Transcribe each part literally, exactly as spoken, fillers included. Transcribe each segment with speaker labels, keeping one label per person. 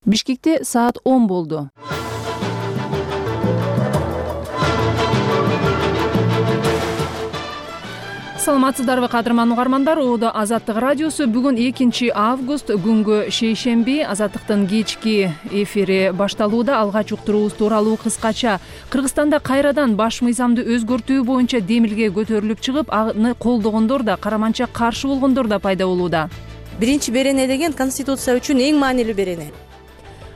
Speaker 1: Бишкекте саат он болду. Саламатсыздарбы кадырман угармандар, Оодо Азаттык радиосу. Бүгүн экинчи август, күнгө шейшемби. Азаттыктын кечки эфири башталууда. Алгач уктуруубуз тууралуу кыскача. Кыргызстанда кайрадан баш мыйзамды өзгөртүү боюнча демилге көтөрүлүп чыгып, аны колдогондор да, караманча каршы болгондор да пайда болууда.
Speaker 2: Биринчи берене деген Конституция үчүн эң маанилүү берене.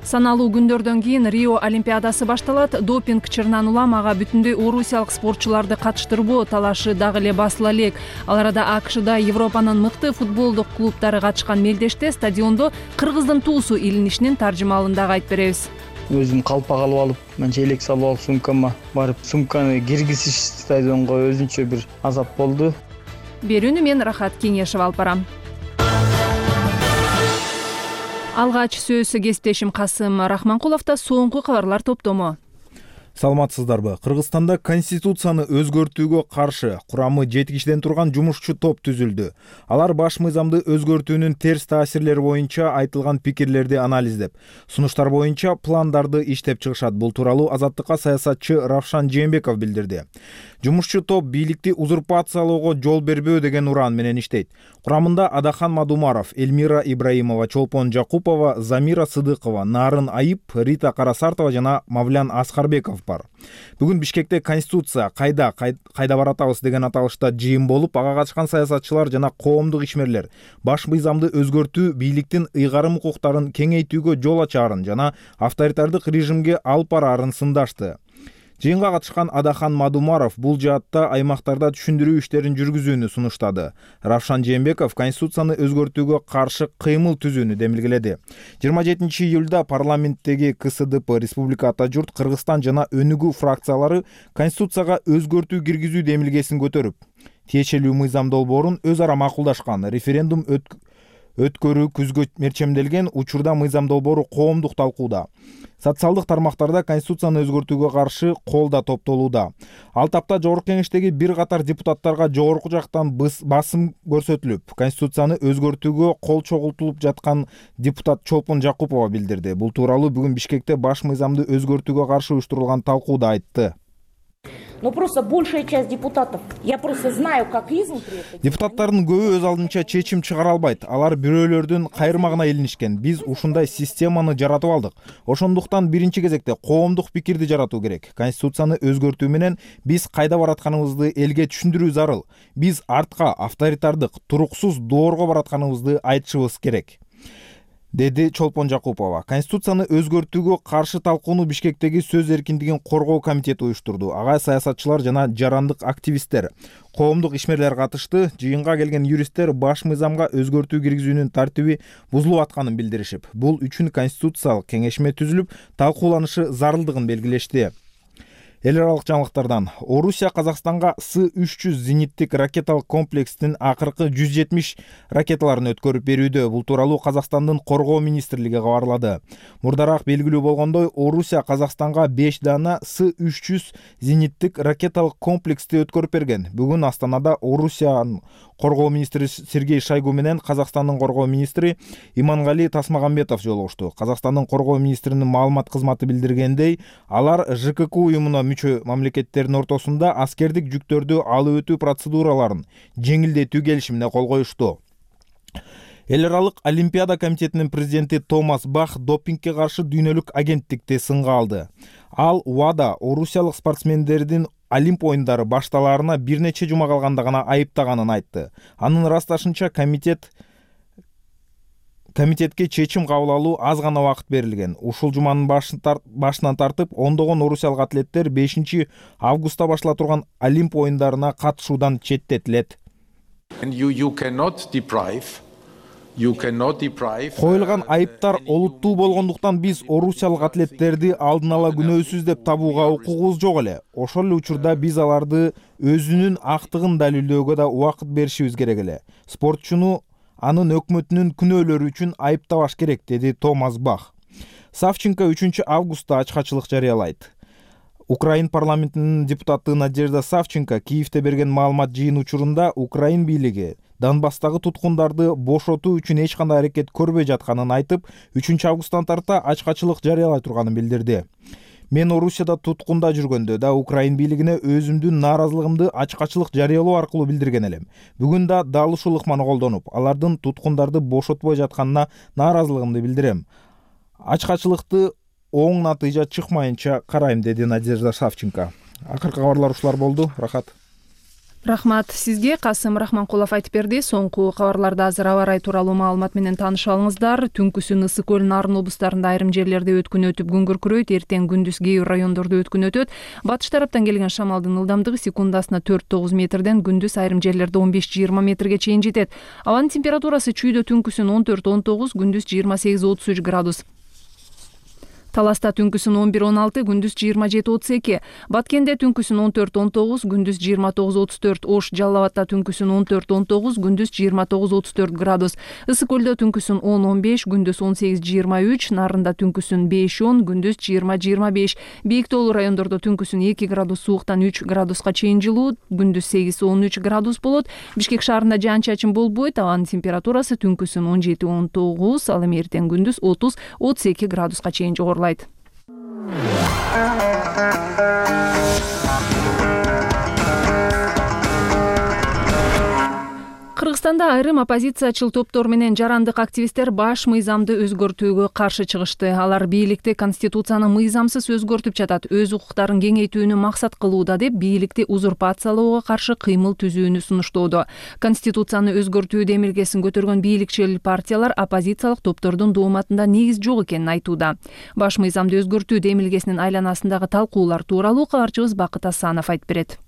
Speaker 1: Саналуу күндөрдөн кийин Рио Олимпиадасы башталат. Допинг чырынан улам ага бүтүндөй орусиялык спортчуларды катыштырбоо талашы дагы эле басыла элек. Ал арада АКШда Европанын мыкты футболдук клубтары катышкан мелдеште стадиондо кыргыздын туусу илинишинин таржымалын дагы айтып беребиз.
Speaker 3: Өзүм калпак алып алып, манча элек салып алып сумкама барып, сумканы киргизиш стадионго өзүнчө бир азап болду.
Speaker 1: Берүүнү мен Рахат Кеңешева алып барам. Алгач сөз кесиптешим Касым Рахманкуловдо. Соңку кабарлар топтому.
Speaker 4: Саламатсыздарбы? Кыргызстанда конституцияны өзгөртүүгө каршы курамы жети кишиден турган жумушчу топ түзүлдү. Алар баш мыйзамды өзгөртүүнүн терс таасирлери боюнча айтылган пикирлерди анализдеп, сунуштар боюнча пландарды иштеп чыгышат. Бул тууралуу Азаттыкка саясатчы Равшан Жээнбеков билдирди. Жумушчу топ бийликти узурпациялоого жол бербөө деген уран менен иштейт. Курамында Адахан Мадумаров, Эльмира Ибраимова, Чолпон Жакупова, Замира Сыдыкова, Нарын Айып, Рита Карасартова жана Мавлян Аскарбеков бар. Бүгүн Бишкекте Конституция кайда кайда баратабыз деген аталышта жыйын болуп, ага катышкан саясатчылар жана коомдук ишмерлер баш мыйзамды өзгөртүү бийликтин ыйгарым укуктарын кеңейтүүгө жол ачаарын жана авторитардык режимге алып бараарын сындашты. Жыйынга катышкан Адахан Мадумаров бул жаатта аймактарда түшүндүрүү иштерин жүргүзүүнү сунуштады. Равшан Жээнбеков Конституцияны өзгөртүүгө каршы кыймыл түзүүнү демилгеледи. жыйырма жетинчи июлда парламенттеги КСДП, Республика Ата журт, Кыргызстан жана Өнүгүү фракциялары Конституцияга өзгөртүү киргизүү демилгесин көтөрүп, тиешелүү мыйзам долбоорун өз ара макулдашкан. Референдум өт өткөрүү күзгө мерчемделген. Учурда мыйзам долбоору коомдук талкууда. Социалдык тармактарда Конституцияны өзгөртүүгө каршы кол да топтолууда. Ал тапта Жогорку Кеңештеги бир катар депутаттарга жогорку жактан басым көрсөтүлүп, Конституцияны өзгөртүүгө кол чогултулуп жаткан депутат Чолпон Жакупова билдирди. Бул тууралуу бүгүн Бишкекте баш мыйзамды өзгөртүүгө каршы уюштурулган талкууда айтты.
Speaker 5: Но просто большая часть депутатов, я просто знаю, как изнутри.
Speaker 4: Депутаттардын көбү өз алдынча чечим чыгара албайт. Алар бирөөлөрдүн кайрымагына илинишкен. Биз ушундай системаны жаратып алдык. Ошондуктан биринчи кезекте коомдук пикирди жаратуу керек. Конституцияны өзгөртүү менен биз кайда баратканыбызды элге түшүндүрүү зарыл. Биз артка авторитардык, туруксуз доорго баратканыбызды айтышыбыз керек, деди Чолпон Жакупова. Конституцияны өзгөртүүгө каршы талкууну Бишкектеги сөз эркиндигин коргоо комитети уюштурду. Ага саясатчылар жана жарандык активисттер, коомдук ишмерлер катышты. Жыйынга келген юристтер баш мыйзамга өзгөртүү киргизүүнүн тартиби бузулуп атканын билдиришип, бул үчүн конституциялык кеңешме түзүлүп, талкууланышы зарылдыгын белгилешти. Эл аралык жаңылыктардан. Орусия Казакстанга С үч жүз зениттик ракеталык комплекстин акыркы жүз жетимиш ракеталарын өткөрүп берүүдө. Бул тууралуу Казакстандын коргоо министрлиги кабарлады. Мурдараак белгилүү болгондой, Орусия Казакстанга беш дана С үч жүз зениттик ракеталык комплексти өткөрүп берген. Бүгүн Астанада Орусиянын коргоо министри Сергей Шойгу менен Казакстандын коргоо министри Имангали Тасмагамбетов жолугушту. Казакстандын коргоо министринин маалымат кызматы билдиргендей, алар ЖКК уюмуна мүчө мамлекеттердин ортосунда аскердик жүктөрдү алып өтүү процедураларын жеңилдетүү келишимине кол коюшту. Эл аралык Олимпиада комитетинин президенти Томас Бах допингге каршы дүйнөлүк агенттикти сынга алды. Ал УАДа орусиялык спортсмендердин Олимп оюндары башталаарына бир нече жума калганда гана айыптаганын айтты. Анын ырасташынча комитет комитетке чечим кабыл алуу аз гана убакыт берилген. Ушул жуманын башынан тартып, ондогон орусиялык атлеттер бешинчи августта баштала турган Олимп оюндарына катышуудан четтетилет. Коюлган айыптар олуттуу болгондуктан биз орусиялык атлеттерди алдын ала күнөөсүз деп табууга укугубуз жок эле. Ошол эле учурда биз аларды өзүнүн актыгын далилдөөгө да убакыт беришибиз керек эле. Спортчуну анын өкмөтүнүн күнөөлөрү үчүн айыптабаш керек, деди Томас Бах. Савченко үчүнчү августта ачкачылык жарыялайт. Украин парламентинин депутаты Надежда Савченко Киевте берген маалымат жыйын учурунда Украин бийлиги Донбасстагы туткундарды бошотуу үчүн эч кандай аракет көрбөй жатканын айтып, үчүнчү августтан тарта ачкачылык жарыялай турганын билдирди. Мен Орусияда туткунда жүргөндө да Украин бийлигине өзүмдүн нааразылыгымды ачкачылык жарыялоо аркылуу билдирген элем. Бүгүн да дал ушул ыкманы колдонуп, алардын туткундарды бошотпой жатканына нааразылыгымды билдирем. Ачкачылыкты оң натыйжа чыкмайынча карайм, деди Надежда Савченко. Акыркы кабарлар ушулар болду. Рахат.
Speaker 1: Рахмат сизге. Касым Рахманкулов айтып берди. Соңку кабарларда азыр аба ырайы тууралуу маалымат менен тааныша алыңыздар. Түнкүсүн Ысык көл, Нарын облустарында айрым жерлерде өткүн өтүп күн күркүрөйт. Эртең күндүз кээ бир райондордо өткүн өтөт. Батыш тараптан келген шамалдын ылдамдыгы секундасына төрт тогуз метрден күндүз айрым жерлерде он беш жыйырма метрге чейин жетет. Абанын температурасы чүйдө түнкүсүн он төрт он тогуз, күндүз жыйырма сегиз отуз үч градус. Таласта түнкүсүн он бир он алты, күндүз жыйырма жети отуз эки. Баткенде түнкүсүн он төрт он тогуз, күндүз жыйырма тогуз отуз төрт. Ош Жалал Абадта түнкүсүн он төрт он тогуз, күндүз жыйырма тогуз отуз төрт градус. Ысык көлдө түнкүсүн он он беш, күндүз он сегиз жыйырма үч. Нарында түнкүсүн беш он, күндүз жыйырма жыйырма беш. Бийик тоолуу райондордо түнкүсүн эки градус сууктан үч градуска чейин жылуу, күндүз сегиз он үч градус болот. Бишкек шаарында жаан-чачын болбойт. Абанын температурасы түнкүсүн он жети он тогуз, ал эми эртең күндүз отуз отуз эки градуска чейин жогорулайт. Кыргызстанда айрым оппозициячыл топтор менен жарандык активисттер баш мыйзамды өзгөртүүгө каршы чыгышты. Алар бийликти конституцияны мыйзамсыз өзгөртүп жатат, өз укуктарын кеңейтүүнү максат кылууда деп бийликти узурпациялоого каршы кыймыл түзүүнү сунуштоодо. Конституцияны өзгөртүү демилгесин көтөргөн бийликчил партиялар оппозициялык топтордун дооматында негиз жок экенин айтууда. Баш мыйзамды өзгөртүү демилгесинин айланасындагы талкуулар тууралуу кабарчыбыз Бакыт Асанов айтып берет.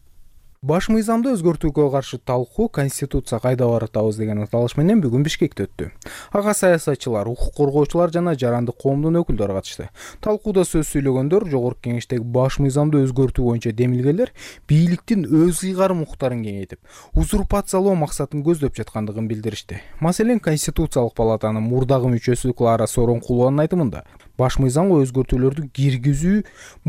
Speaker 6: Баш мыйзамды өзгөртүүгө каршы талкуу «Конституция кайда баратабыз» деген аталыш менен бүгүн Бишкекте өттү. Ага саясатчылар, укук коргоочулар жана жарандык коомдун өкүлдөрү катышты. Талкууда сөз сүйлөгөндөр Жогорку Кеңештеги баш мыйзамды өзгөртүү боюнча демилгелер бийликтин өз ыйгарым укуктарын кеңейтип, узурпациялоо максатын көздөп жаткандыгын билдиришти. Маселен, Конституциялык палатанын мурдагы мүчөсү Клара Сооронкулованын айтымында баш мыйзамга өзгөртүүлөрдү киргизүү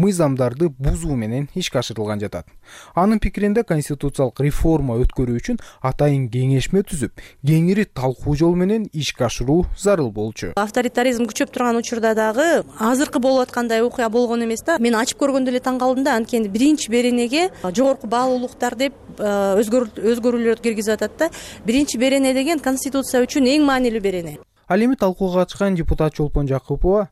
Speaker 6: мыйзамдарды бузуу менен ишке ашырылган жатат. Анын пикиринде конституциялык реформа өткөрүү үчүн атайын кеңешме түзүп, кеңири талкуу жол менен ишке ашыруу зарыл болчу.
Speaker 2: Авторитаризм күчөп турган учурда дагы азыркы болуп аткандай окуя болгон эмес да. Мен ачып көргөндө эле таң калдым да, анткени биринчи беренеге жогорку баалуулуктар деп өзгөрүүлөрдү киргизип атат да. Биринчи берене деген конституция үчүн эң маанилүү берене.
Speaker 6: Ал эми талкууга катышкан депутат Чолпон Жакупова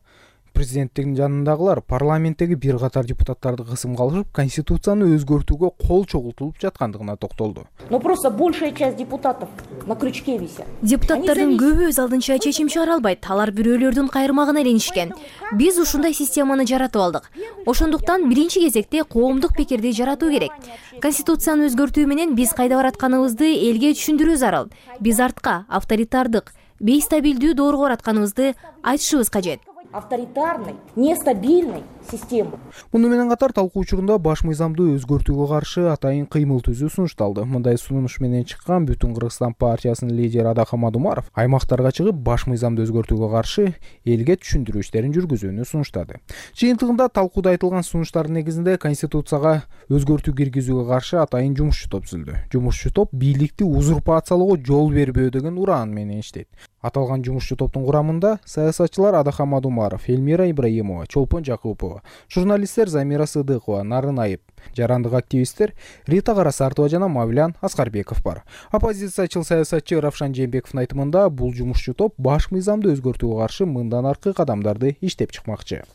Speaker 6: президенттин жанындагылар парламенттеги бир катар депутаттарды кысымга алышып, конституцияны өзгөртүүгө кол чогултулуп жаткандыгына токтолду.
Speaker 5: Но просто большая часть депутатов на крючке висят.
Speaker 7: Депутаттардын көбү өз алдынча чечим чыгара албайт. Алар бирөөлөрдүн кайрмагына иленишкен. Биз ушундай системаны жаратып алдык. Ошондуктан биринчи кезекте коомдук пикирди жаратуу керек. Конституцияны өзгөртүү менен биз кайда баратканыбызды элге түшүндүрүү зарыл. Биз артка, авторитардык, бейстабилдүү доорго баратканыбызды айтышыбыз кажет.
Speaker 5: Авторитарной, нестабильной системы.
Speaker 6: Муну менен катар талкуу учурунда баш мыйзамды өзгөртүүгө каршы атайын кыймыл түзүү сунушталды. Мындай сунуш менен чыккан Бүтүн Кыргызстан партиясынын лидери Адахам Адумаров аймактарга чыгып, баш мыйзамды өзгөртүүгө каршы элге түшүндүрүү иштерин жүргүзүүнү сунуштады. Жыйынтыгында талкууда айтылган сунуштардын негизинде конституцияга өзгөртүү киргизүүгө каршы атайын жумушчу топ түзүлдү. Жумушчу топ бийликти узурпациялоого жол бербөө деген ураан менен иштейт. Аталган жумушчу топтун курамында саясатчылар Адахам Адумаров, Элмира Ибраимова, Чолпон Жакупова, журналисттер Замира Сыдыкова, Нарын Айып, жарандык активисттер Рита Карасартова жана Мавлян Аскарбеков бар. Оппозициячыл саясатчы Равшан Жээнбековдун айтымында бул жумушчу топ баш мыйзамды өзгөртүүгө каршы мындан аркы кадамдарды иштеп чыкмакчы.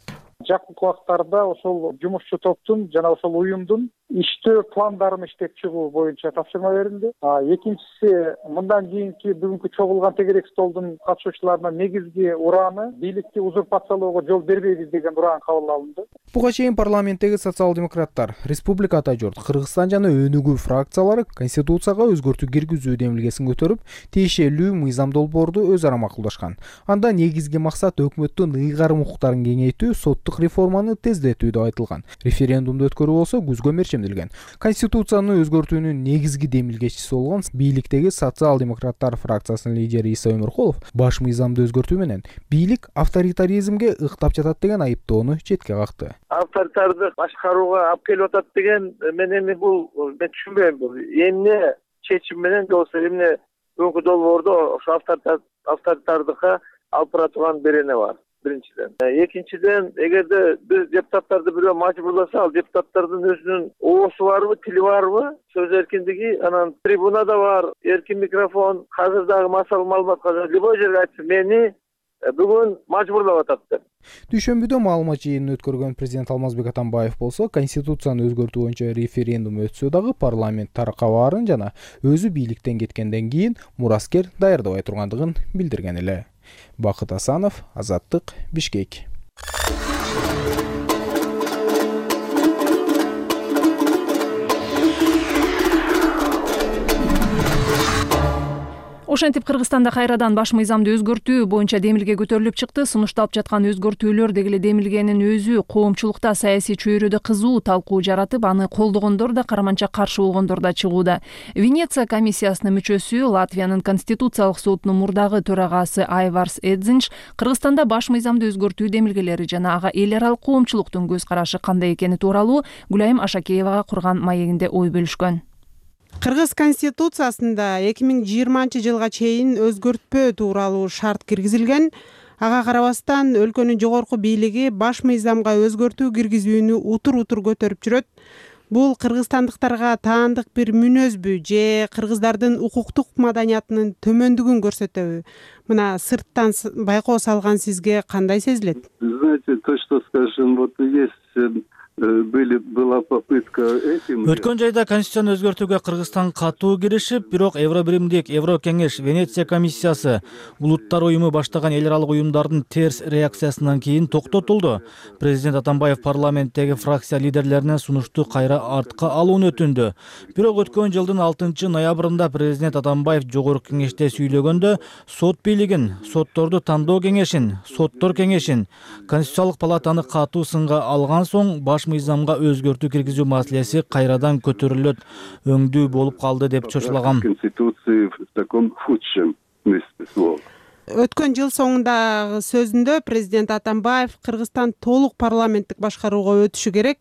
Speaker 8: Жакын убактарда ошол жумушчу топтун жана ошол уюмдун иштөө пландарын иштеп чыгуу боюнча тапшырма берилди. Экинчиси, мындан кийинки бүгүнкү чогулган тегерек столдун катышуучуларына негизги урааны бийликти узурпациялоого жол бербейбиз деген ураан кабыл алынды.
Speaker 6: Буга чейин парламенттеги социал-демократтар, Республика Ата журт, Кыргызстан жана Өнүгүү фракциялары конституцияга өзгөртүү киргизүү демилгесин көтөрүп, тиешелүү мыйзам долбоорду өз ара макулдашкан. Анда негизги максат өкмөттүн ыйгарым укуктарын кеңейтүү, соттук реформаны тездетүү деп айтылган. Референдумду өткөрүү болсо күзгө мерчемделген. Конституцияны өзгөртүүнүн негизги демилгечиси болгон бийликтеги социал-демократтар фракциясынын лидери Иса Өмөркулов баш мыйзамды өзгөртүү менен бийлик авторитаризмге ыктап жатат деген айыптоону четке какты.
Speaker 9: Авторитардык башкарууга алып келип атат деген мен эми бул мен түшүнбөйм. Бул эмне чечим менен же болбосо эмне бүгүнкү долбоордо ошо авторитардыкка алып бара турган берене бар. Биринчиден. Экинчиден, эгерде биз депутаттарды бирөө мажбурласа, ал депутаттардын өзүнүн оосу барбы, тили барбы, сөз эркиндиги, анан трибунада бар, эркин микрофон, азыр дагы массалык маалыматка любой жерге айтса мени бүгүн мажбурлап атат деп.
Speaker 6: Дүйшөмбүдө маалымат жыйынын өткөргөн президент Алмазбек Атамбаев болсо, конституцияны өзгөртүү боюнча референдум өтсө дагы парламент таракка баарын жана өзү бийликтен кеткенден кийин мураскер даярдабай тургандыгын билдирген эле. Бакыт Асанов, Азаттык, Бишкек.
Speaker 1: Ошентип Кыргызстанда кайрадан баш мыйзамды өзгөртүү боюнча демилге көтөрүлүп чыкты. Сунушталып жаткан өзгөртүүлөр дегеле демилгенин өзү коомчулукта саясий чөйрөдө кызуу талкуу жаратып, аны колдогондор да, караманча каршы болгондор да чыгууда. Венеция комиссиясынын мүчөсү, Латвиянын конституциялык сотунун мурдагы төрагасы Айварс Эдзинч Кыргызстанда баш мыйзамды өзгөртүү демилгелери жана ага эл аралык коомчулуктун көз карашы кандай экени тууралуу Гүлайым Ашакеевага курган маегинде ой бөлүшкөн.
Speaker 10: Кыргыз конституциясында эки миң жыйырманчы жылга чейин өзгөртпөө тууралуу шарт киргизилген. Ага карабастан өлкөнүн жогорку бийлиги баш мыйзамга өзгөртүү киргизүүнү утур-утур көтөрүп жүрөт. Бул кыргызстандыктарга таандык бир мүнөзбү же кыргыздардын укуктук маданиятынын төмөндүгүн көрсөтөбү? Мына сырттан байкоо салган сизге кандай сезилет?
Speaker 11: Знаете, то, что скажем, вот есть были была попытка этим.
Speaker 12: Өткөн жайда конституцияны өзгөртүүгө Кыргызстан катуу киришип, бирок Евро биримдик, Евро кеңеш, Венеция комиссиясы, Улуттар уюму баштаган эл аралык уюмдардын терс реакциясынан кийин токтотулду. Президент Атамбаев парламенттеги фракция лидерлерине сунушту кайра артка алууну өтүндү. Бирок өткөн жылдын алтынчы ноябрында президент Атамбаев жогорку кеңеште сүйлөгөндө сот бийлигин, сотторду тандоо кеңешин, соттор кеңешин, Конституциялык палатаны катуу сынга алган соң баш мыйзамга өзгөртүү киргизүү маселеси кайрадан көтөрүлөт, өңдүү болуп калды деп чочулаган.
Speaker 11: Конституции в таком худшем смысле слова.
Speaker 10: Өткөн жыл соңундагы сөзүндө президент Атамбаев Кыргызстан толук парламенттик башкарууга өтүшү керек.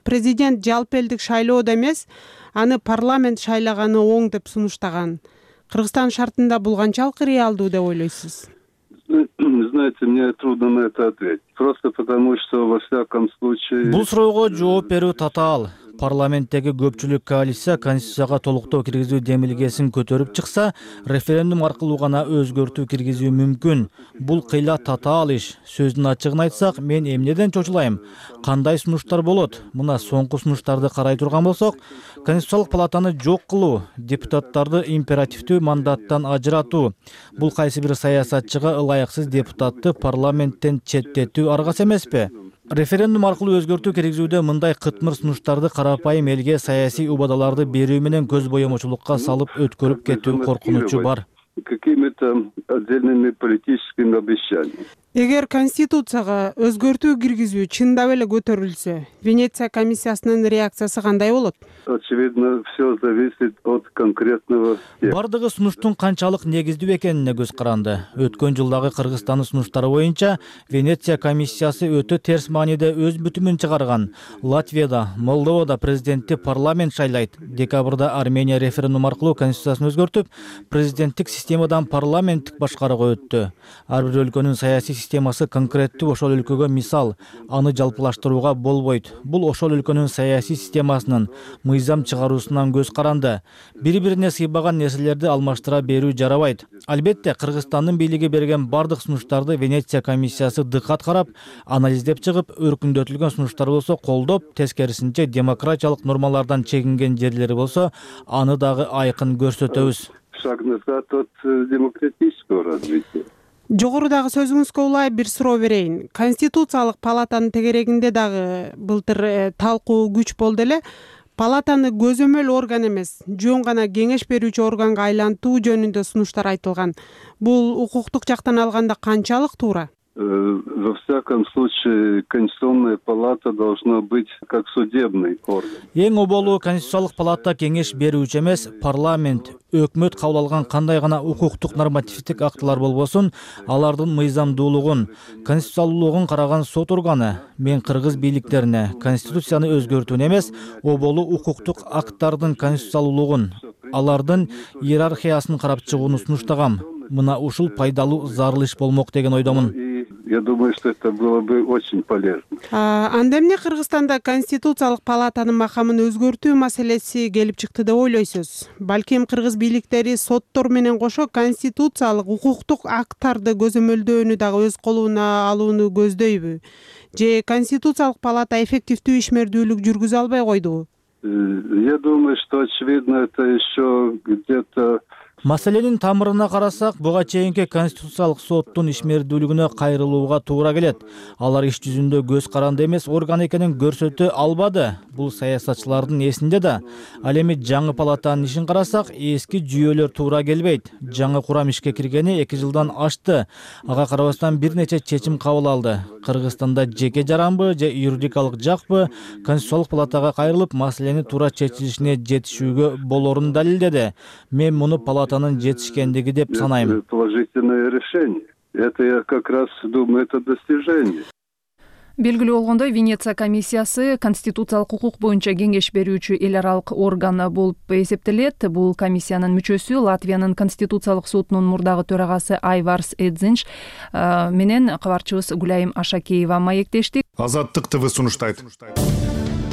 Speaker 10: Президент жалпы элдик шайлоодо эмес, аны парламент шайлаганы оң деп сунуштаган. Кыргызстан шартында бул канчалык реалдуу деп ойлойсуз?
Speaker 11: Знаете, мне трудно на это ответить. Просто потому, что во всяком случае...
Speaker 12: Бул суроого жооп берүү татаал. Парламенттеги көпчүлүк коалиция конституцияга толуктоо киргизүү демилгесин көтөрүп чыкса, референдум аркылуу гана өзгөртүү киргизүү мүмкүн. Бул кыйла татаал иш. Сөздүн ачыгын айтсак, мен эмнеден чочулайм? Кандай сунуштар болот? Мына соңку сунуштарды карай турган болсок, Конституциялык палатаны жок кылуу, депутаттарды императивдүү мандаттан ажыратуу. Бул кайсы бир саясатчыга ылайыксыз депутатты парламенттен четтетүү аргасы эмеспи? Референдум аркылуу өзгөртүү киргизүүдө мындай кытмыр сунуштарды карапайым элге саясий убадаларды берүү менен көз боемочулукка салып өткөрүп кетүү коркунучу бар.
Speaker 11: Какими-то отдельными политическими обещаниями.
Speaker 10: Эгер конституцияга өзгөртүү киргизүү чындап эле көтөрүлсө, Венеция комиссиясынын реакциясы кандай болот?
Speaker 11: Очевидно, все зависит от конкретного.
Speaker 12: Бардыгы сунуштун канчалык негиздүү экенине көз каранды. Өткөн жылдагы Кыргызстандын сунуштары боюнча Венеция комиссиясы өтө терс мааниде өз бүтүмүн чыгарган. Латвияда, Молдовада президентти парламент шайлайт. Декабрда Армения референдум аркылуу конституциясын өзгөртүп, президенттик системадан парламенттик башкарууга өттү. Ар бир өлкөнүн саясий системасы конкреттүү ошол өлкөгө мисал, аны жалпылаштырууга болбойт. Бул ошол өлкөнүн саясий системасынын мыйзам чыгаруусунан көз каранды. Бири-бирине сыйбаган нерселерди алмаштыра берүү жарабайт. Албетте, Кыргызстандын бийлиги берген бардык сунуштарды Венеция комиссиясы дыккат карап, анализдеп чыгып, өркүндөтүлгөн сунуштар болсо колдоп, тескерисинче демократиялык нормалардан чегинген жерлери болсо, аны дагы айкын көрсөтөбүз.
Speaker 11: Шаг назад от демократического развития.
Speaker 10: Жогорудагы сөзүңүзгө улай бир суроо берейин. Конституциялык палатанын тегерегинде дагы былтыр талкуу күч болду эле. Палатаны көзөмөл орган эмес, жөн гана кеңеш берүүчү органга айлантуу жөнүндө сунуштар айтылган. Бул укуктук жактан алганда канчалык туура?
Speaker 11: Во всяком случае, Конституционная палата должна быть как судебный орган.
Speaker 12: Эң оболу Конституциялык палата кеңеш берүүчү эмес, парламент, өкмөт кабыл алган кандай гана укуктук нормативдик актылар болбосун, алардын мыйзамдуулугун, конституциялуулугун караган сот органы. Мен кыргыз бийликтерине конституцияны өзгөртүүнү эмес, оболу укуктук акттардын конституциялуулугун, алардын иерархиясын карап чыгууну сунуштагам. Мына ушул пайдалуу зарыл иш болмок деген ойдомун.
Speaker 11: Я думаю, что это было бы очень полезно.
Speaker 10: Анда эмне Кыргызстанда конституциялык палатанын макамын өзгөртүү маселеси келип чыкты деп ойлойсуз? Балким кыргыз бийликтери соттор менен кошо конституциялык укуктук акттарды көзөмөлдөөнү дагы өз колуна алууну көздөйбү? Же конституциялык палата эффективдүү ишмердүүлүк жүргүзө албай койдубу?
Speaker 11: Я думаю, что очевидно это еще где-то.
Speaker 12: Маселенин тамырына карасак, буга чейинки конституциялык соттун ишмердүүлүгүнө кайрылууга туура келет. Алар иш жүзүндө көз каранды эмес орган экенин көрсөтө албады. Бул саясатчылардын эсинде да. Ал эми жаңы палатанын ишин карасак, эски жүйөлөр туура келбейт. Жаңы курам ишке киргени эки жылдан ашты. Ага карабастан бир нече чечим кабыл алды. Кыргызстанда жеке жаранбы же юридикалык жакпы конституциялык палатага кайрылып, маселени туура чечилишине жетишүүгө болорун далилдеди. Мен муну палата жетишкендиги деп санайм.
Speaker 11: Положительное решение. Это я как раз думаю, это достижение.
Speaker 1: Белгилүү болгондой, Венеция комиссиясы конституциялык укук боюнча кеңеш берүүчү эл аралык орган болуп эсептелет. Бул комиссиянын мүчөсү Латвиянын конституциялык сотунун мурдагы төрагасы Айварс Эдзинш менен кабарчыбыз Гүлайым Ашакеева маектешти.
Speaker 13: Азаттык ТВ сунуштайт.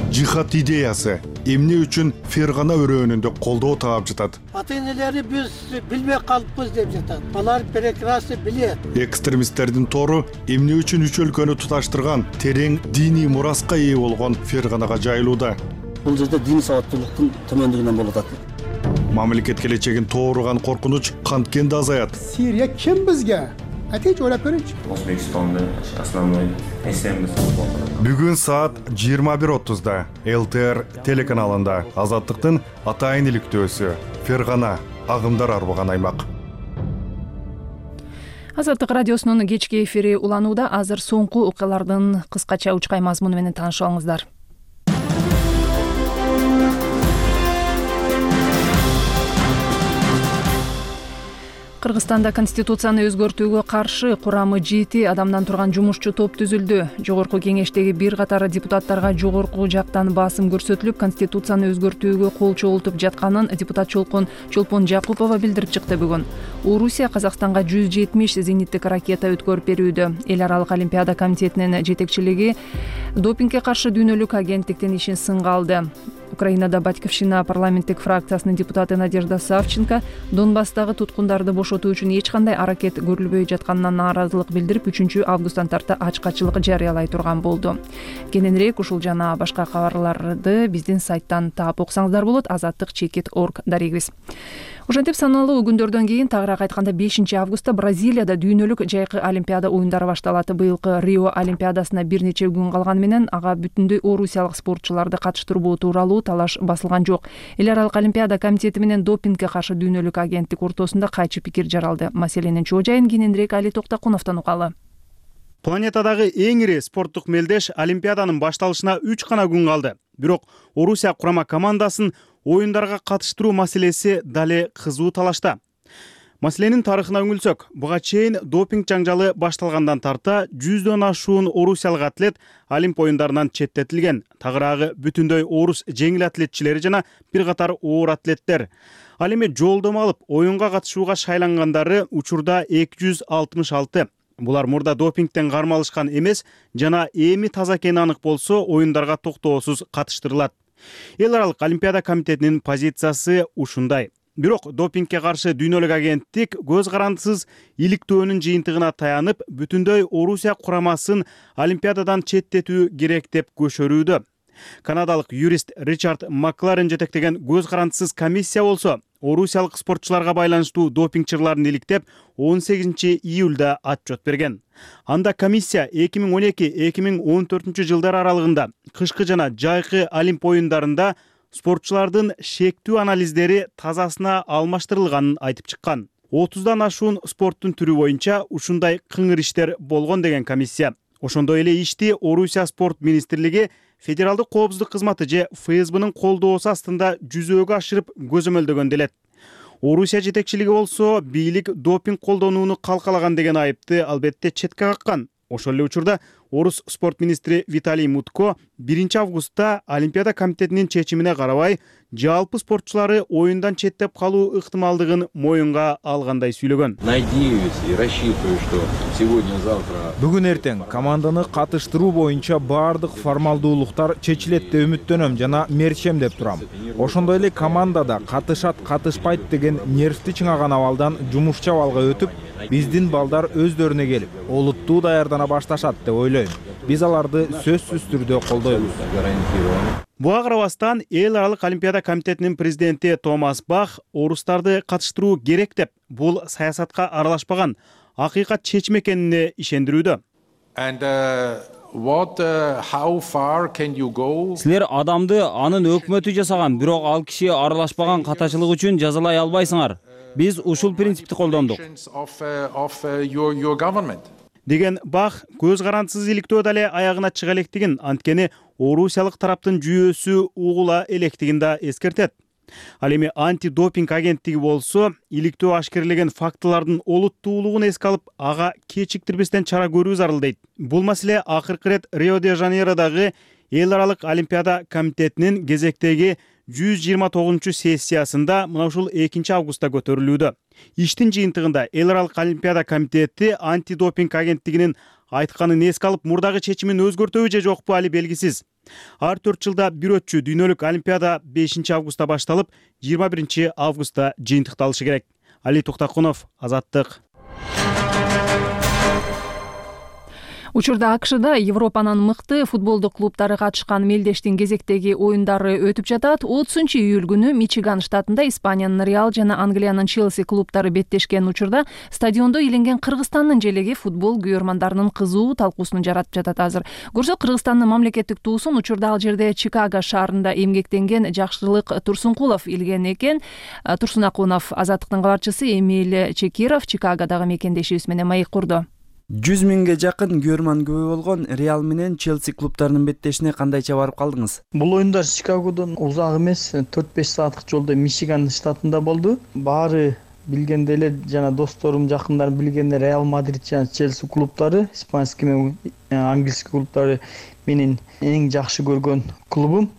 Speaker 13: Жихад идеясы эмне үчүн Фергана өрөөнүндө колдоо таап жатат?
Speaker 14: Ата-энелери биз билбей калыппыз деп жатат. Алар прекрасно билет.
Speaker 13: Экстремисттердин тору эмне үчүн үч өлкөнү туташтырган терең диний мураска ээ болгон Ферганага жайылууда?
Speaker 15: Бул жерде диний сабаттуулуктун төмөндүгүнөн болуп атат.
Speaker 13: Мамлекет келечегин тооруган коркунуч канткенде азаят.
Speaker 14: Сирия ким бизге? Атеч ойлап көрүнчү.
Speaker 16: Өзбекстанда основной эсембиз.
Speaker 13: Бүгүн саат жыйырма бир отузда эл тэ эр телеканалында Азаттыктын атайын иликтөөсү Фергана агымдар арбаган аймак.
Speaker 1: Азаттык радиосунун кечки эфири уланууда. Азыр соңку окуялардын кыскача учкай мазмуну менен таанышып алыңыздар. Кыргызстанда конституцияны өзгөртүүгө каршы курамы жети адамдан турган жумушчу топ түзүлдү. Жогорку кеңештеги бир катар депутаттарга жогорку жактан басым көрсөтүлүп, конституцияны өзгөртүүгө кол чогултуп жатканын депутат Чолпон Чолпон Жакупова билдирип чыкты бүгүн. Орусия Казакстанга жүз жетимиш зениттик ракета өткөрүп берүүдө. Эл аралык олимпиада комитетинин жетекчилиги допингге каршы дүйнөлүк агенттиктин ишин сынга алды. Украинада Батьковщина парламенттик фракциясынын депутаты Надежда Савченко Донбасстагы туткундарды бошотуу үчүн эч кандай аракет көрүлбөй жатканына нааразылык билдирип, үчүнчү августтан тарта ачкачылык жарыялай турган болду. Кененирээк ушул жана башка кабарларды биздин сайттан таап окусаңыздар болот. азаттык чекит точка орг дарегибиз. Ошентип саналуу күндөрдөн кийин, тагыраак айтканда бешинчи августта Бразилияда дүйнөлүк жайкы олимпиада оюндары башталат. Быйылкы Рио олимпиадасына бир нече күн калганы менен ага бүтүндөй орусиялык спортчуларды катыштыруу тууралуу талаш басылган жок. Эл аралык олимпиада комитети менен допингге каршы дүйнөлүк агенттик ортосунда кайчы пикир жаралды. Маселенин чоо жайын кененирээк Али Токтокуновдон угалы.
Speaker 17: Планетадагы эң ири спорттук мелдеш олимпиаданын башталышына үч гана күн калды. Бирок Орусия курама командасын оюндарга катыштыруу маселеси дале кызуу талашта. Маселенин тарыхына үңүлсөк, буга чейин допинг жаңжалы башталгандан тарта жүздөн ашуун орусиялык атлет Олимп оюндарынан четтетилген. Тагыраагы бүтүндөй орус жеңил атлетчилери жана бир катар оор атлеттер. Ал эми жолдомо алып оюнга катышууга шайлангандары учурда эки жүз алтымыш алты. Булар мурда допингден кармалышкан эмес жана эми таза экени анык болсо оюндарга токтоосуз катыштырылат. Эл аралык олимпиада комитетинин позициясы ушундай. Бирок допингге каршы дүйнөлүк агенттик көз карандысыз иликтөөнүн жыйынтыгына таянып, бүтүндөй Орусия курамасын олимпиададан четтетүү керек деп көшөрүүдө. Канадалык юрист Ричард Макларен жетектеген көз карандысыз комиссия болсо, орусиялык спортчуларга байланыштуу допингчиларын иликтеп, он сегизинчи июлда отчет берген. Анда комиссия эки миң он эки — эки миң он төртүнчү жылдар аралыгында кышкы жана жайкы Олимп оюндарында спортчулардын шектүү анализдери тазасына алмаштырылганын айтып чыккан. отуздан ашуун спорттун түрү боюнча ушундай кыңыр иштер болгон деген комиссия. Ошондой эле ишти Орусия спорт министрлиги Федералдык коопсуздук кызматы же эф эс бнын колдоосу астында жүзөөгө ашырып көзөмөлдөгөн делет. Орусия жетекчилиги болсо бийлик допинг колдонууну калкалаган деген айыпты албетте четке каккан. Ошол эле учурда Орус спорт министри Виталий Мутко биринчи августта Олимпиада комитетинин чечимине карабай жалпы спортчулары оюндан четтеп калуу ыктымалдыгын моюнга алгандай сүйлөгөн.
Speaker 18: Надеюсь и рассчитываю, что сегодня-завтра
Speaker 4: бүгүн эртең команданы катыштыруу боюнча баардык формалдуулуктар чечилет деп үмүттөнөм жана мерчем деп турам. Ошондой эле командада катышат, катышпайт деген нервти чыңаган абалдан жумушчу абалга өтүп, биздин балдар өздөрүнө келип, олуттуу даярдана башташат деп ойлойм. Биз аларды сөзсүз түрдө колдойбуз.
Speaker 17: Буга карабастан Эл аралык Олимпиада комитетинин президенти Томас Бах орустарды катыштыруу керек деп, бул саясатка аралашпаган акыйкат чечим экенине ишендирүүдө.
Speaker 19: Силер адамды анын өкмөтү жасаган, бирок ал киши аралашпаган катачылык үчүн жазалай албайсыңар. Биз ушул принципти колдондук.
Speaker 17: Деген Бах көз карандысыз иликтөө дале аягына чыга электигин, анткени орусиялык тараптын жүйөөсү угула электигин да эскертет. Ал эми антидопинг агенттиги болсо, иликтөө ашкерлеген фактылардын олуттуулугун эске алып, ага кечиктирбестен чара көрүү зарыл дейт. Бул маселе акыркы ирет Рио-де-Жанейродогу Эл аралык Олимпиада комитетинин кезектеги жүз жыйырма тогузунчу сессиясында мына ушул экинчи августта көтөрүлүүдө. Иштин жыйынтыгында Эл аралык Олимпиада комитети антидопинг агенттигинин айтканын эске алып, мурдагы чечимин өзгөртөбү же жокпу али белгисиз. Ар төрт жылда бир өтчү дүйнөлүк Олимпиада бешинчи августта башталып, жыйырма биринчи августта жыйынтыкталышы керек. Али Туктакунов, Азаттык.
Speaker 1: Учурда АКШда Европанын мыкты футболдук клубтары катышкан мелдештин кезектеги оюндары өтүп жатат. отузунчу июль күнү Мичиган штатында Испаниянын Реал жана Англиянын Челси клубтары беттешкен учурда стадиондо иленген Кыргызстандын желеги футбол күйөрмандарынын кызуу талкуусун жаратып жатат азыр. Көрсө Кыргызстандын мамлекеттик туусун учурда ал жерде Чикаго шаарында эмгектенген Жакшылык Турсункулов илген экен. Турсун Акунов, Азаттыктын кабарчысы Эмиль Чекиров Чикагодагы мекендешибиз менен маек курду.
Speaker 20: жүз миңге жакын күйөрман күбө болгон Реал менен Челси клубтарынын беттешине кандайча барып калдыңыз?
Speaker 3: Бул оюндар Чикагодон узак эмес, төрт беш сааттык жолдо Мичиган штатында болду. Баары билгенде эле жана досторум, жакындарым билгенде Реал Мадрид жана Челси клубтары, испанский менен английский клубтары менин эң жакшы көргөн клубум